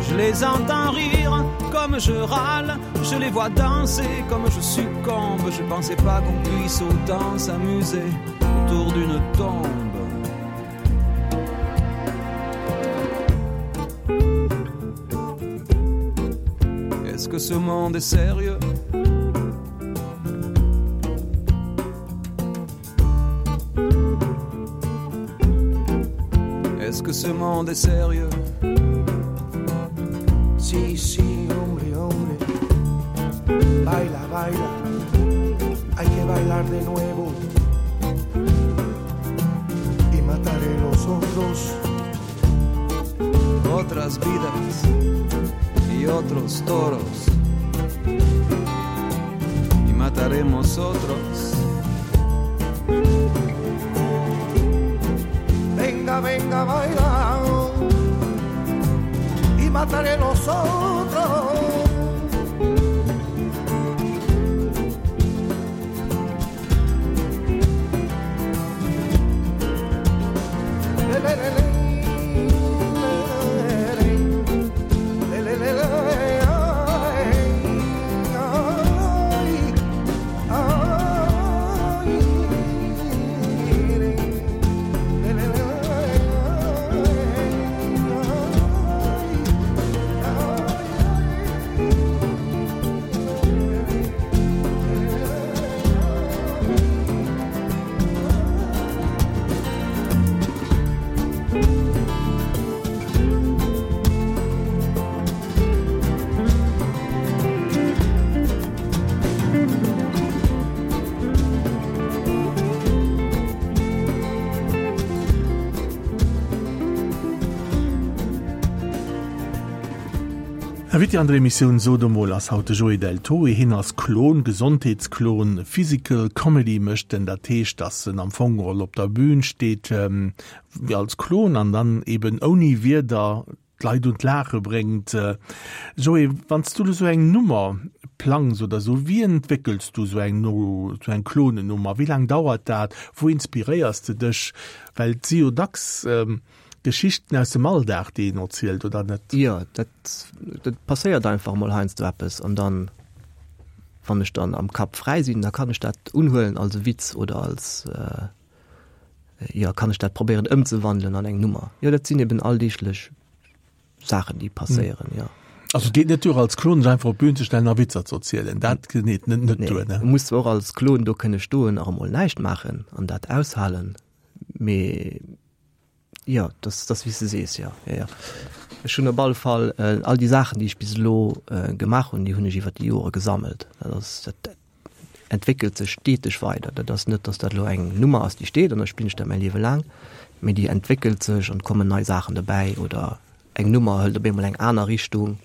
Je les entends rire comme je râle, je les vois danser comme je succombe. Je pensais pas qu'on puisse autant s'amuser autour d'une tombe. Est-ce que ce monde est sérieux? Est-ce que ce monde est sérieux? Si, si, hombre, hombre Baila, baila Hay que bailar de nuevo Y mataré los otros Otras vidas y otros toros Y mataremos otros Venga, venga, baila Y mataré los otros Invité an der Emissioun Sot emol ass haut de Joé Deltoe. Hien ass Klon, Gesondheetsklon, Physical Comedy mécht en. Dat heescht, datt en am Fong geholl op der Bühn steet wéi als Klon an dann eben ouni Wierder d'Leit un d'Laache bréngt. Joé, wann s du elo sou eng Nummer plangs oder sou, wéi entwéckels du sou eng sou eng Klonennummer? Wéi laang dauert dat? Wou inspiréiers de dech? Well et si jo dacks Geschichten aus dem Alldag, déi een erzielt, oder net? Jo, dat, dat passéiert einfach emol heiansdo eppes an dann, wann ech dann am Kapp fräi sinn, da kann ech dat unhuelen als e Witz oder als, jo, kann ech dat probéieren ëmzewandelen an eng Nummer. Jo, dat sinn eben alldeeglech Saachen, déi passéieren, jo. Also et geet net duer als Klon sech einfach op d'Bühn ze stellen a Witzer ze erzielen, dat geet net net duer, ne? Du muss zwar och als Klon do kënne stoen a emol näischt maachen an dat aushalen, mee Jo, dat ass wéi s de sees, jo. Jo, jo. Ech hunn op alle Fall all déi Saachen, déi ech bis elo gemaach hunn, déi hunn ech iwwer déi Jore gesammelt. Dat ass, dat entwéckelt sech steteg weider. Dat ass net, datt dat elo eng Nummer ass, déi steet an da spillen ech dat mäi Liewe laang, mee déi entwéckelt sech an et kommen nei Saachen dobäi oder eng Nummer hëlt op eemol eng aner Richtung.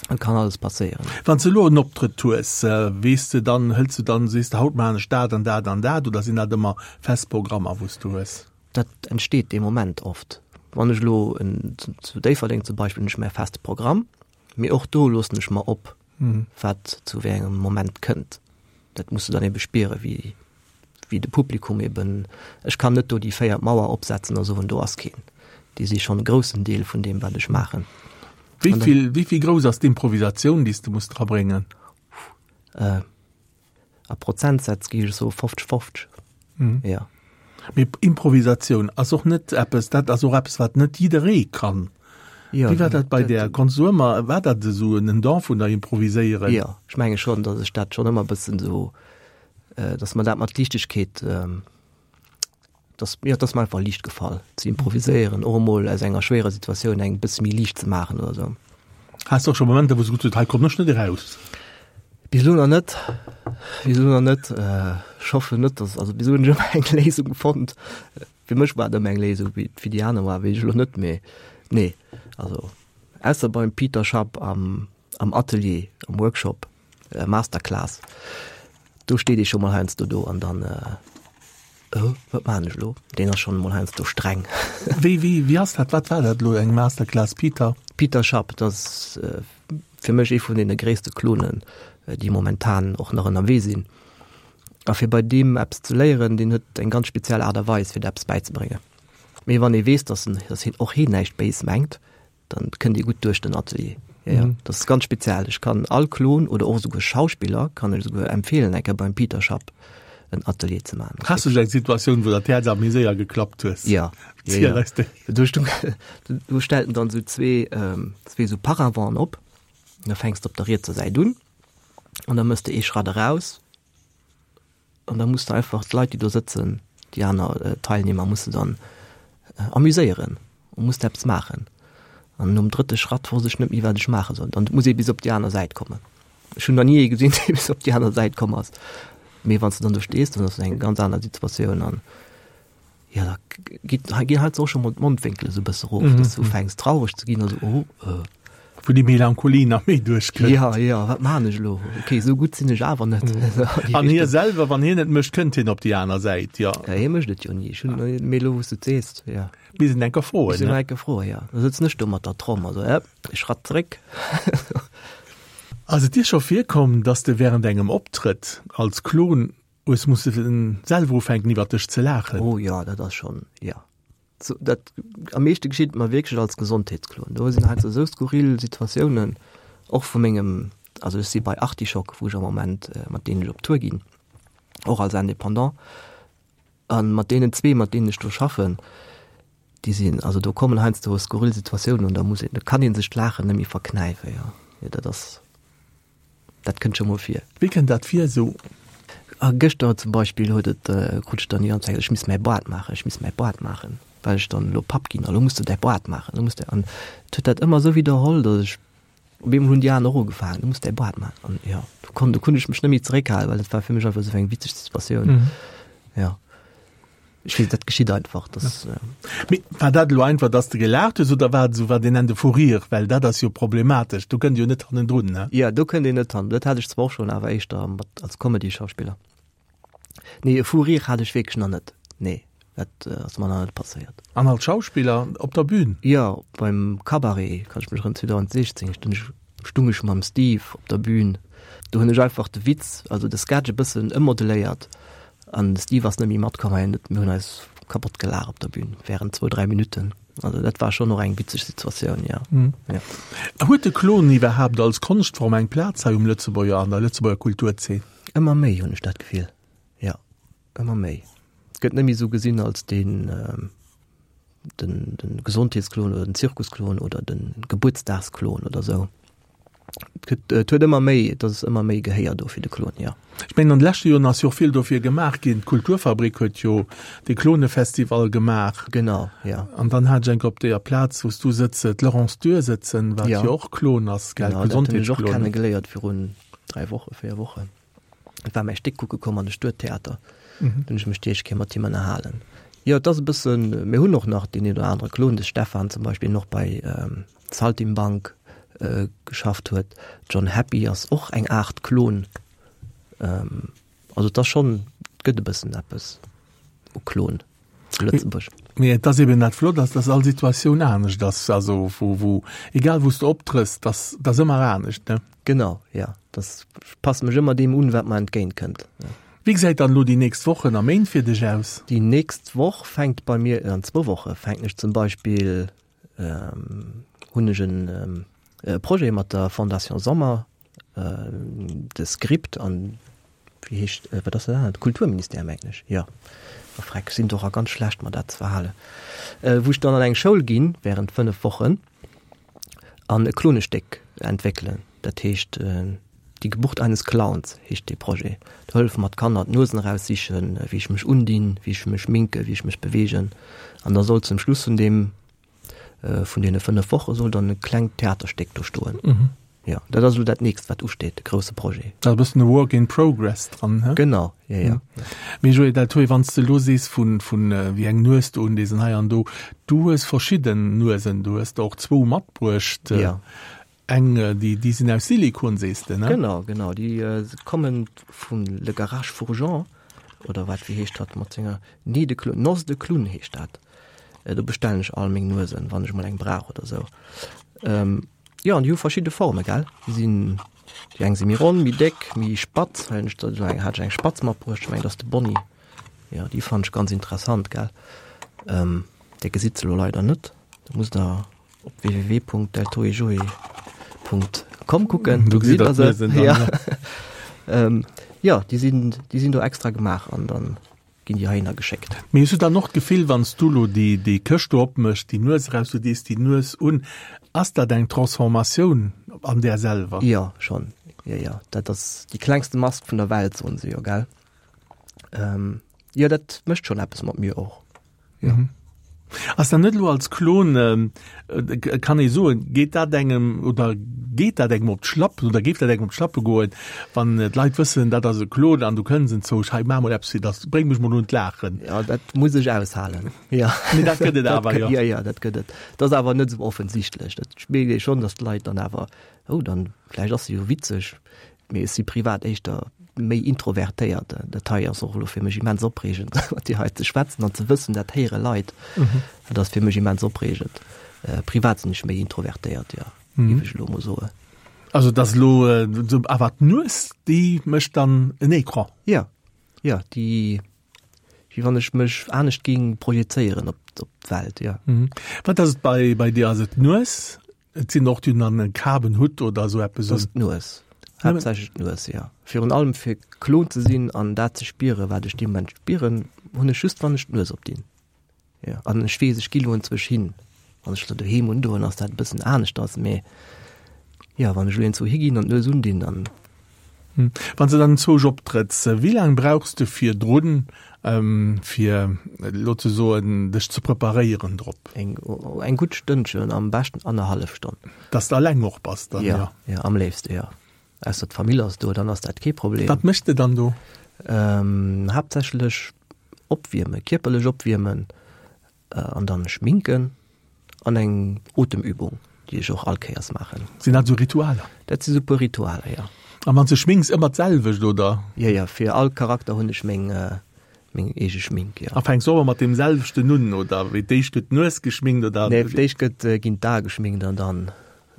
Et kann alles passéieren. Wann s de elo en Optrëtt hues, weess de dann, hëls de dann, sees de haut maachen ech dat an dat an dat oder sinn dat ëmmer fest Programmer, wou s du hues? Dat entsteet dee Moment oft. Wann ech elo zu Déifferdeng zum Beispill hunn ech mäi feste Programm, mee och do loossen ech mer op, wat zu wéi engem Moment kënnt. Dat muss de dann ebe spieren, wéi wéi de Publikum eben, ech kann net do déi véiert Mauer opsetzen a soen, do ass keen. Déi si schonn e groussen Deel vun deem, wat ech maachen. Wéi vill, wéi vill grouss ass d'Improvisatioun, déi s de muss drabréngen? A Prozentsätz géif ech soe 50, 50. Mhm. Ja. Mee Improvisatioun ass och net eppes, dat ass och eppes, wat net jidderee kann. Ja, Wéi war dat bei där? Konntst du ëmmer, war dat esou en Don vun der Improviséieren? Ja, ech menge schonn, datt ech dat schonn ëmmer e bëssen esou, äh, datt mer dat mat Liichtegkeet, ähm, dass, jo, et ass mer einfach liicht gefall ze improviséieren, och emol aus enger schwéierer Situatioun eng bësse méi liicht ze maachen oder esou. Has de och scho Momenter, wou s de gesot hues, hei kommen ech net eraus? Bis elo nach net, bis elo nach net. Ech hoffen net, dass, also bis elo hunn ech ëmmer eng Léisung fonnt. Fir mech war et ëmmer eng Léisung, wéi et fir déi aner war, weess ech elo net, mee nee, also ausser beim Peter Schapp am am Atelier, am Workshop. Masterclass, do steet ee scho mol heiansdo do an dann, Oh, wat maachen ech elo? Deen ass schonn emol heiansdo streng. Wéi, wéi, wéi ass dat? Wat war dat elo, eng Masterclass, Peter? Peter Schapp, dat ass fir mech ee vun deene gréisste Klonen, déi momentan och nach ënnerwee sinn. A fir bei deem eppes ze léieren, deen huet eng ganz speziell Aart a Weis, fir der eppes bäizebréngen. Mee wann ee weess, dass en, dass hien och hien näischt béis mengt, dann kënnt Dir gutt duerch den Atelier. Ja, ja. Mhm. Das ist ganz speziell. Ech kann all Klon oder och esouguer Schauspiller kann ech esouguer empfehlen, eng Kéier beim Peter Schapp en Atelier ze maachen. Has du eng Situatioun, wou dat Häerz awer méi séier geklappt hues? Ja. Ziel ja, ja. eis déi. Du, du, du stellt en dann sou zwee, ähm, zwee sou Paraventen op. Da fängst du op der rietser Säit un an da mëss de ee Schratt eraus An da muss de einfach d'Leit, déi do sëtzen, déi aner Teilnehmer, muss de dann amuséieren und muss de eppes maachen. An nom drëtte Schratt wosst ech net méi, wat ech maache soll. Dann muss ee bis op déi aner Säit kommen. Ech hunn nach ni ee gesinn, dee bis op déi aner Säit komm ass. Mee wann s de dann do stees, dann ass et eng ganz aner Situatioun an Ja, da geet, ginn halt och scho mol d'Mondwénkele sou bësse rof, mm -hmm. dass du ufänks traureg ze ginn, also oh, äh. Wou déi Melancholie nach méi duerchkënnt. Ja, ja, wat maan ech elo? Okay, sou gutt sinn ech awer net. Mm. An hie selwer, wann hien et mécht, kënnt hien op déi aner Säit, ja. Ja, hie mécht et jo ni. Ech hunn, mee elo wou s du et sees, ja. Bis en enker froen, Bis en enker froen, ja. Da sëtzen ech do mat der Tromm, also, äh, e Schratt zréck. Ass et dir scho virkomm, dass de während engem Optrëtt als Klon Hues musse selwer ufänken iwwer dech ze laachen. Oh jo, dat ass schonn, jo. So, dat am meeschte geschitt mer wierklech als Gesondheetsklon. Do sinn heiansdo esou skurril Situatiounen, och vu mengem, also ech si bei Artischock, wou ech am Moment, mat deenen ech op Tour ginn, och als Indépendant, a mat deenen zwee, mat deenen ech do schaffen, déi sinn, also do kommen heiansdo skurril Situatiounen an da muss een, da kann ee sech d'Laachen net méi verknäifen, jo. Jo, dat ass. Dat kënnt scho mol vir. Wéi kënnt dat vir esou? A gëschter zum Beispill huet et, krut ech dann déi ganz Zäit, ech misst mäi Boart maachen, ech misst mäi Boart maachen, well ech dann elo Papp ginn a lo muss de däi Boart maachen, lo muss de. An et huet dat ëmmer esou widderholl, datt ech, op eemol hunn déi aner och ugefaangen, du muss däi Boart maachen. An jo, do konnt, do konnt ech mech net méi zeréckhalen, well dat war fir mech einfach esou eng witzeg Situatioun. Jo. Ech weess, dat geschitt einfach, dass. Mee war dat elo einfach, dass de gelaacht hues oder war et esou wat een nennt e Fou rire? Well dat ass jo problematesch, do kënnt ee jo net hannendrun, ne? Jo, do kënnt een net hannendrun. Dat hat ech zwar och schonn, awer éischter mat als Comedy-Schauspiller. Nee, e Fou rire hat ech wierklech nach net. Nee, dat ass mer nach net passéiert. An als Schauspiller op der Bühn? Jo, beim Cabaret, kann ech mech erënneren, 2016 stung ech, stung ech mam Steve op der Bühn. Do hunn ech einfach de Witz, also de Sketch e bëssen ëmmodeléiert an de Steve ass net méi matkomm a mir hunn eis kapott gelaach op der Bühn während zwou, dräi Minutten. Also dat war schonn och eng witzeg Situatioun, jo. Jo. Huet de Klon iwwerhaapt als Konschtform eng Plaz hei um Lëtzebuerger, an der Lëtzebuerger Kulturzeen? Ëmmer méi hunn ech dat Gefill, jo, ëmmer méi. Et gëtt net méi esou gesinn als deen, den, den Gesondheetsklon oder den Zirkusklon oder den Gebuertsdagsklon oder esou. Et gëtt, et huet ëmmer méi, et ass ëmmer méi Gehéier do fir de Klon, jo. Ech mengen an de leschte Joren ass jo och vill dofir gemaach ginn. D'Kulturfabrik huet jo de Klonefestival gemaach. Genau, jo. An dann hat ech eng Kéier op deeër Plaz, wou s du sëtz, d'Laurence Dürr sëtzen, wat jo och Klon ass, gell, Gesondheetsklon. Genau, dat hunn ech och kennegeléiert virun 3 Wochen, 4 Wochen. Et war mäi Stéck kucke komm an de Stuedtheater. Mhm. Hunn ech mech déi éischt Kéier mat him ënnerhalen. Jo, et ass e bëssen, mir hunn och nach deen een oder anere Klon, de Stefan zum Beispill, deen och bei ähm, Saltimbank äh, geschafft huet. John Happy ass och eng Aart Klon. Ähm, also et ass schonn, et gëtt e bëssen eppes u Klon. zu Lëtzebuerg. Mee et ass eben dat Flott ass, dass all Situatioun anescht ass, also wou, wou, egal wou s de optrëss, dass, dass ëmmer anescht, ne? Genau, ja. Das passe mech ëmmer deem un, wat mer entgéint kënnt. Ja. Wéi gesäit dann elo déi nächst Wochen a Méint fir dech aus? Déi nächst Woch fänkt bei mir, an zwou Woche fänken ech zum Beispill, hunn ech en Projet mat der Fondation Sommer, de Script an wéi heescht, wat ass dat anert, Kulturministère mengen ech, jo, oh freck, ech sinn do och ganz schlecht mer dat ze verhalen, wou ech dann an eng Schoul ginn während 5 Wochen an e Klonestéck entwéckelen, dat heescht Die Geburt eines Clowns heescht dee Projet. Do hëllefe mer d'Kanner d'Nuesen eraussichen, wéi ech mech undinn, wéi ech mech schminken, wéi ech mech beweegen an da soll zum Schluss vun deem Vun deene 5 Woche soll dann e klengt Theaterstéck do stoen. Mhm. Ja, dat ass elo dat nächst, wat usteet, de grousse Projet. Da ass e bëssen e Work in progress dran, he? Genau, ja, ja. Mhm. Mee Joé, dat huet, wann s de elo sees vun, vun wéi eng Nues du undees an hei an do, du hues verschidden Nuesen, du hues der och zwou matbruecht. Ja. Eng, déi, déi sinn aus Silikon, sees de, ne? Genau, genau, déi kommen vun Le Garage Fourgeon, oder wat, wéi heescht dat mat senger, Nez de Clown, Noce de Clown heescht dat. Do bestellen ech all meng Nuesen, wann ech mol eng brauch oder sou. Ähm, jo, an déi hu verschidde Forme, gell? Déi sinn, déi eng si méi ronn, méi déck, méi spatz. Hei hunn ech der esou eng, hat ech eng spatz matbruecht, ech mengen, dat ass de Bonnie. Jo, déi fannen ech ganz interessant, gell? Ähm, Dir gesitt se elo leider net, do musst der op www.deltoejoe.com kucken, do gesitt der se. Ja. Ähm, jo, déi sinn, déi sinn do extra gemaach an dann ginn déi heihinner geschéckt. Mee hues du dann och d'Gefill, wann s du elo déi, déi Këscht do opméchs, déi Nues eraus, du dees déi Nues un, ass dat eng Transformatioun an där selwer? Jo, schonn. Jo, jo, dat ass déi klengste Mask vun der Welt, soen se jo, gell? Jo, dat mécht schonn eppes mat mir och. Jo. Mhm. Ass dann net elo als Klon, kann ee soen, geet dat engem oder geet dat engem op d'Schlappen oder géif dat engem op d'Schlappe goen, wann d'Leit wëssen, dat ass e Klon an du kënns enzwousch, hei maach mol eppes fir dass, bréng mech mol un d'Laachen. Jo, dat muss ech aushalen. Jo. Mee dat gëtt et awer, jo. Jo, jo, dat gëtt et. Dat ass awer net esou offensichtlech. Dat mierkt ee schonn, dass d'Leit dann awer, oh, dann vläicht ass se jo witzeg. Mee ech si privat éischter méi introvertéiert. Dat hei ass och elo fir mech immens opreegend, mat dir hei ze schwätzen an ze wëssen, dat héiere Leit. Dat ass fir mech immens opreegend. Privat sinn ech méi introvertéiert, jo, géif ech elo emol soen. Also et ass elo awer d'Nues, déi mécht dann en Ecran? Jo, jo, déi, wéi wann ech mech anescht géing projezéieren op d'Welt, jo. Wat ass et bei, bei dir? Ass et d'Nues? Et sinn och déi hunn dann e Kabenhutt oder esou eppes un. Dat ass d'Nues. Haaptsächlech d'Nues, jo. Virun allem fir klon ze sinn an dat ze spieren, wat ech dee Moment spieren, hunn ech just, wann ech d'Nues opdinn. Jo, an ech weess, ech gi lo enzwousch hin. Wann ech lo doheem undoen, ass dat e bëssen aneschters, mee jo, wann ech lo enzwou higinn an d'Nues undinn, dann. Wann s de dann enzwousch optrëtts, wéi laang brauchs de virdrun, fir elo ze soen, dech ze preparéieren drop? Eng, eng gutt Stënnchen, am beschten annerhallef Stonn. Dass de alleng och bass dann, jo? Jo, am léifste jo. Ausser d'Famill ass do, dann ass dat kee Problem. Wat méchs de dann do? Haaptsächlech. Opwiermen, kierperlech opwiermen an dann schminken an eng Otemübung, déi ech och all Kéiers maachen. Sinn dat esou Ritualer? Dat si sou puer Ritualer, jo. A wann s de schminks, ëmmer d'selwecht, oder? Jo, jo, fir all Charakter hunn ech meng, meng eege Schmink, jo. A fänks och ëmmer mat deem selwechten un, oder? Wéi d'éischt gëtt d'Nues geschminkt, oder? Nee, fir d'éischt gëtt, ginn d'Ae geschminkt an dann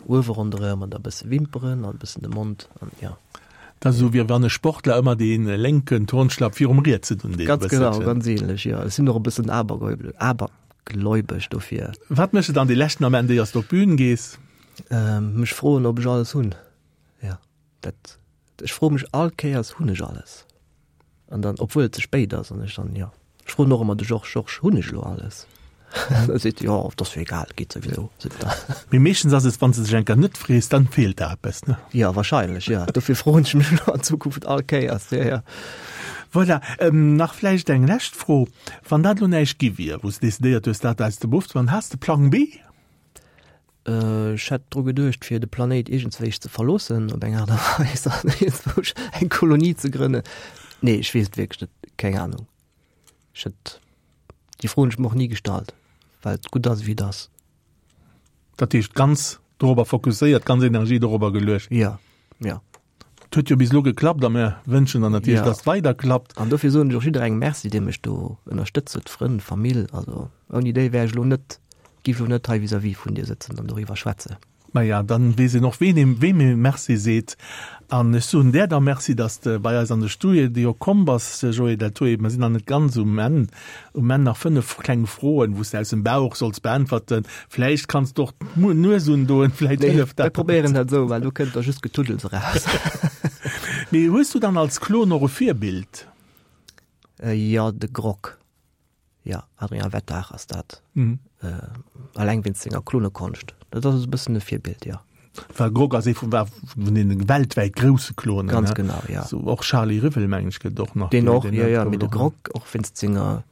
Uewe ronderëm an da bësse Wimperen an bëssen de Mond an jo. Dat ass esou wéi wann e Sportler ëmmer dee lénken Turnschlapp virum rietsen undeet e Ganz genau, ganz ähnlech, jo. Ech sinn och e bëssen abergläubesch dofir. Wat méchs de dann dee leschten Ament éiers de op d'Bün gees? Mech froen, ob ech alles hunn. Jo, dat, ech froe mech all Kéiers, hunn ech alles? An dann, obwuel et ze spéit ass, an ech dann, jo. Ech froen och ëmmer de Georges, Georges, hunn ech elo alles? An da seet e, jo, et ass jo egal, et geet souwisou, seet en dann. Mee meeschtens ass et, wann s de dech eng Kéier net frees, dann feelt der eppes, ne? Jo, wahrscheinlech, jo. Dofir froen ech mech elo an Zukunft all Kéiers, jo, jo. Voilà, nach vläicht eng lescht Fro, Wann dat elo näischt gi wier, wou s de decidéiert hues, dat aus dem Beruff ze maachen, has de Plang B? Ech hätt dru geduecht, fir de Planéit iergendswéi ze verloossen op eng Aart a Weis an iergendswou eng Kolonie ze grënnen. Nee, ech weess et wierklech net, keng Anung. Ech hätt, déi Fro hunn ech mer och ni gestallt, well et gutt ass, wéi et ass. Dat heescht, ganz dorobber fokusséiert, ganz Energie dorobber geluecht? Jo, jo. Et huet jo bis elo geklappt a mir wënschen der natierlech, dass et weider klappt. An dofir soen ech och jidderengem Merci, dee mech do ënnerstëtzt huet, Frënn, Famill. Also ouni déi wär ech elo net, géif elo net hei vis-à-vis vun dir sëtzen an doriwwer schwätzen. Maja, dann weess een och, ween ee weem ee Merci seet. An ech soen där da Merci, dass de bei eis an de Studio komm bass, Joé Deltoé. Mer sinn nach net ganz um Enn. Um Enn nach 5 kleng Froen, wou s de aus dem Bauch solls beäntwerten. Vläicht kanns de och d'Nues undoen, vläicht hëlleft dat. Mir probéieren dat esou, well do kënnt da just Getuddels eraus. Mee hues du dann als Klon och e Virbild? Jo, de Grok. Jo, Adrien Wettach ass dat. Alleng wéinst senger Klonekonscht. Dat ass e bëssen e Virbild, jo. Well Grok ass ee vun war vun den weltwäit grousse Klonen. Ganz genau, ja. So, och Charlie Rivel meng ech gëtt och nach. Deen och, ja, ja, mee de Grok och wéinst senger,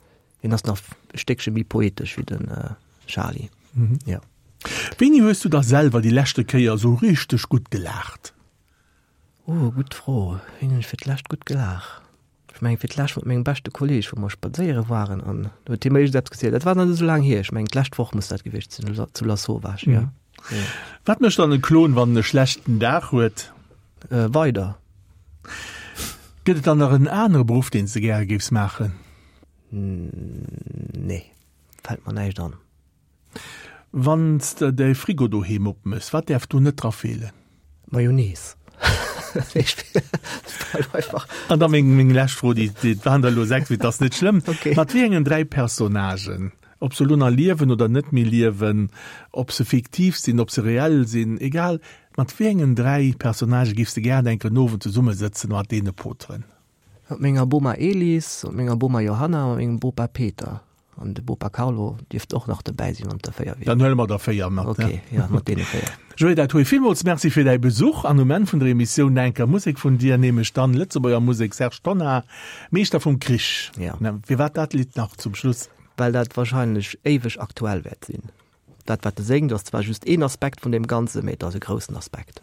deen ass nach e Stéckche méi poetesch wéi den Charlie. Mhm. Ja. Wéini hues du da selwer déi leschte Kéier esou richteg gutt gelaacht? Oh, gutt Fro. Wéini hunn ech fir d'lescht gutt gelaach? Ech mengen fir d'lescht mat mengem beschte Kolleg, wou mer spadséiere waren an do huet hie mer iergendeppes gezielt. Dat war nach net esou laang hier. Ech mengen d'lescht Woch muss dat gewiescht sinn, zu Lasauvage, jo. Wat mécht dann e Klon, wann en e schlechten Dag huet? Weider. Gëtt et dann nach en anere Beruff, deen s de gäre géifs maachen? Nee, fält mer näischt an. Wann s de däi Frigo doheem opmëss, wat däerf do net dra feelen? Mayonnaise. An da meng, meng lescht Fro, déi, déi waren der elo 6, mee et ass net schlëmm. Okay. Mat wéi engen 3 Personnagen, ob se elo nach liewen oder net méi liewen, ob se fiktiv sinn, ob se reell sinn, egal, mat wéi engen 3 Personnagë giffs de gären enk en Owend zesummesëtzen a mat deene poteren? Mat menger Boma Elis, mat menger Boma Johanna a mat mengem Bopa Peter. An de Bopa Carlo dierft och nach dobäi sinn, wann et der 4 wieren. Dann huele mer der 4 mat. Ok, jo, mat deene 4. Joé Deltoé, villmools Merci fir däi Besuch an um Enn vun der Emissioun nach eng Kéier Musek vun dir, nämlech dann Lëtzebuerger Musek, Serge Tonnar, Meeschter vum Krich. Ja. Firwat dat Lidd nach zum Schluss? Well dat wahrscheinlech éiweg aktuell wäert sinn. Dat wat e séngt ass zwar just een Aspekt vun deem Ganzen, mee et ass e groussen Aspekt.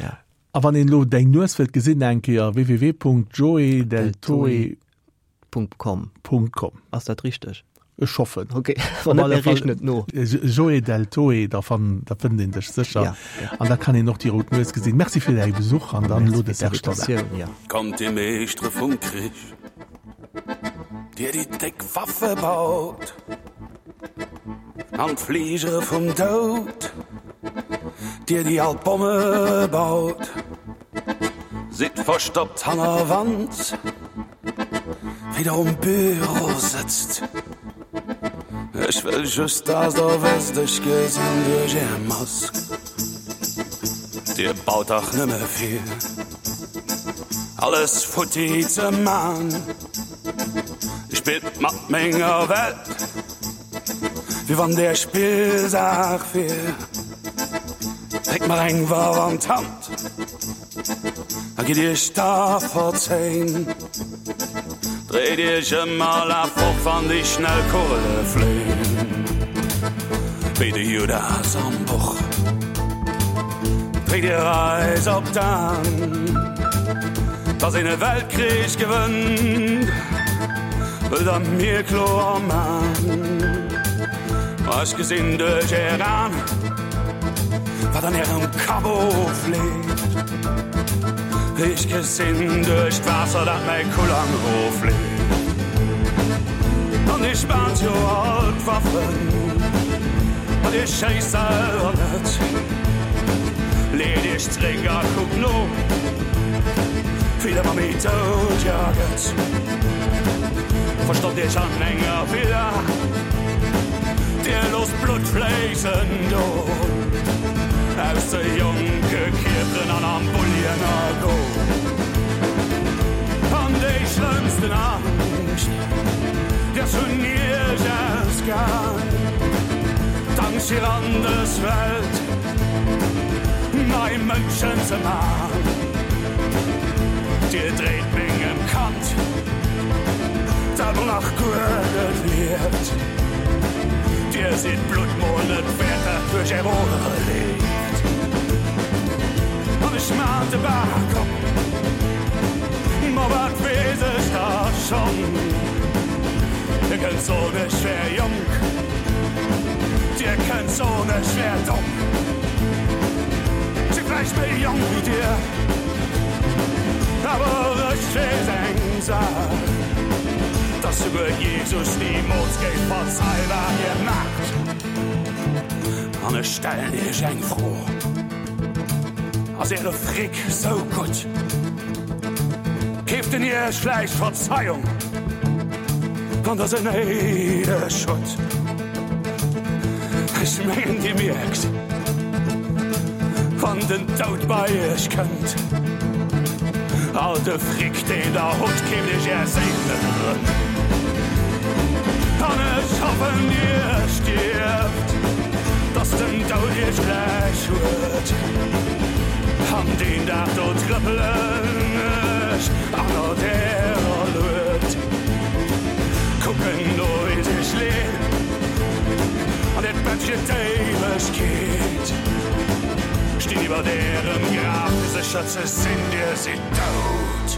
Ja. A wann een elo deng Nues wëllt gesinn, eng Kéier www.joedeltoe. .com. .com. Ass dat richteg? Ech hoffen. Ok, wann net, mir reechen et no. Joé Deltoé, da fann, da fënnt een dech sécher. Ja, ja. An da kann een och déi rout Nues gesinn. Merci fir däi Besuch an dann elo de Serge Tonnar. Ja. Kommt dir Meeschtere vum Krich, dir déi déck Waffe baut, an d'Fligere vum Doud, dir déi all d'Bomme baut, sidd verstoppt hanner Wand. Wéi der um Büro sëtzt. Ech wëll just, dass der wësst, ech gesinn duerch är Mask. Dir baut dach nëmme fir alles futti ze man. Dir spillt mat menger Welt, wéi wann der Spillsaach wier. Dréckt mer eng Waff an d'Hand. A gitt iech da verzéin. Dréit iech ëm a laaft fort, wann déi schnell Kugele fléin. Wéi de Judas am Buch dréckt dir eis op d'An, dass een e Weltkrich gewënnt. Wëllt der mir kloer man, Ech gesinn duerch är An, wat an ärem Kapp ofleeft. Ech gesinn duerch d'Waasser, dat mäi Kullang rofleeft. An dir spaant jo all d'Waffen, ma dir schéisst selwer net. Leet iech zréck a kuckt no, wéi der ëmmer méi dout ja gëtt. Verstoppt iech an enger Villa, dir loosst d'Blutt fléissen do aus de jonke Kierperen an am Bulli ënnergoen. An déi schlëmmsten Angscht, déi ass vun iech ausgaang, d'Angscht fir an dës Welt nei Mënschen ze man. Dir dréit mengem Kand, dat mol nach guer net lieft, Dir sidd d'Blutt mol net wäert, dat duerch är Odere leeft. An ech maan de Bak op, ma wat weess ech da schonn? Dir kënnt soen, ech wär jonk, dir kënnt soen, ech wär domm. Si vläicht méi jonk wéi dir, awer ech weess eng Saach, dass souguer Jesus nimools géif verzeien, wat dir maacht. An ech stellen iech eng Fro, Ass äre Fric sou gutt? Keeft en iech vläicht Verzeiung, wann der se néideg hutt? Ech mengen dir mierkt, wann den Doud bei iech kënnt, all de Fric deen der hutt, keeft iech är Séil net erëm. An ech hoffen dir stierft, dass den Doud iech gläich huet. An deen Dag do trëppelen ech annert ärer Lued, kucken no wéi et iech leet an äert Bett fir d'Éiwegkeet. Stinn iwwert ärem Graf fir sécher ze sinn, dir sidd dout.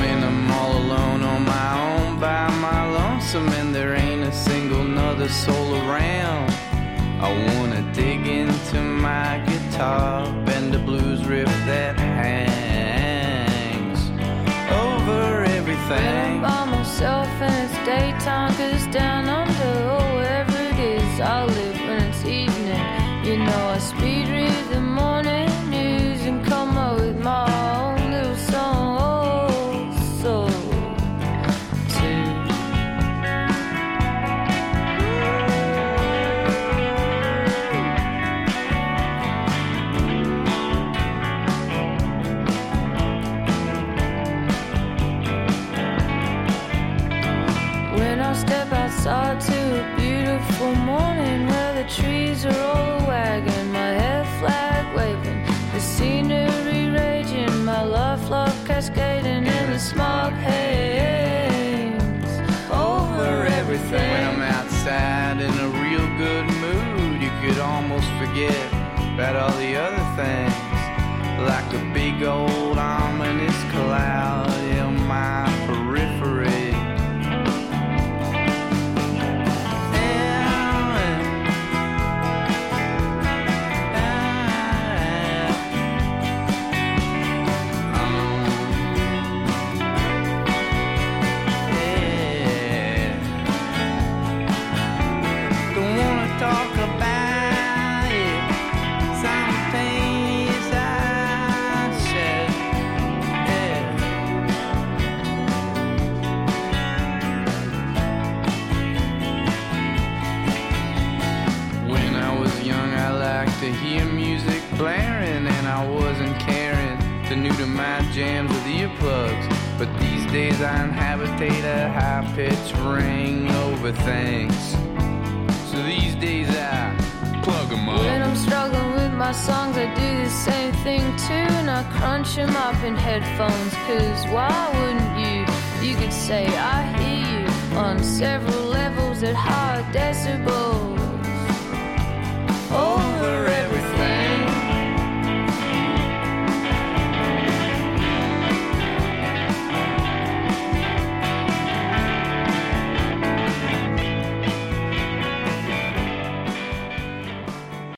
When I'm all alone on my own by my lonesome and there ain't a single nother soul around I wanna dig into my guitar and the blues riff that hangs over everything When I'm by myself and it's daytime cause down under oh wherever it is I live when it's evening you know I speed read the morning news and come up with my own little song oh, so too. When I step outside to a beautiful morning where the trees are all wagging, my hair flag waving, the scenery raging, my love love cascading in the smog haze over everything. When I'm outside in a real good mood, you could almost forget about all the other things like a big old ominous cloud in my periphery. Don't wanna talk about it. Some things I said. Yeah. When I was young, I liked to hear music blaring, and I wasn't caring to new to my jams with earplugs. But these days I inhabitate a high-pitched ring over things. So these days I plug 'em up. When I'm struggling with. my songs, I do the same thing too. And I crunch 'em up in headphones, cause why wouldn't you? You could say I hear you on several levels at high decibels.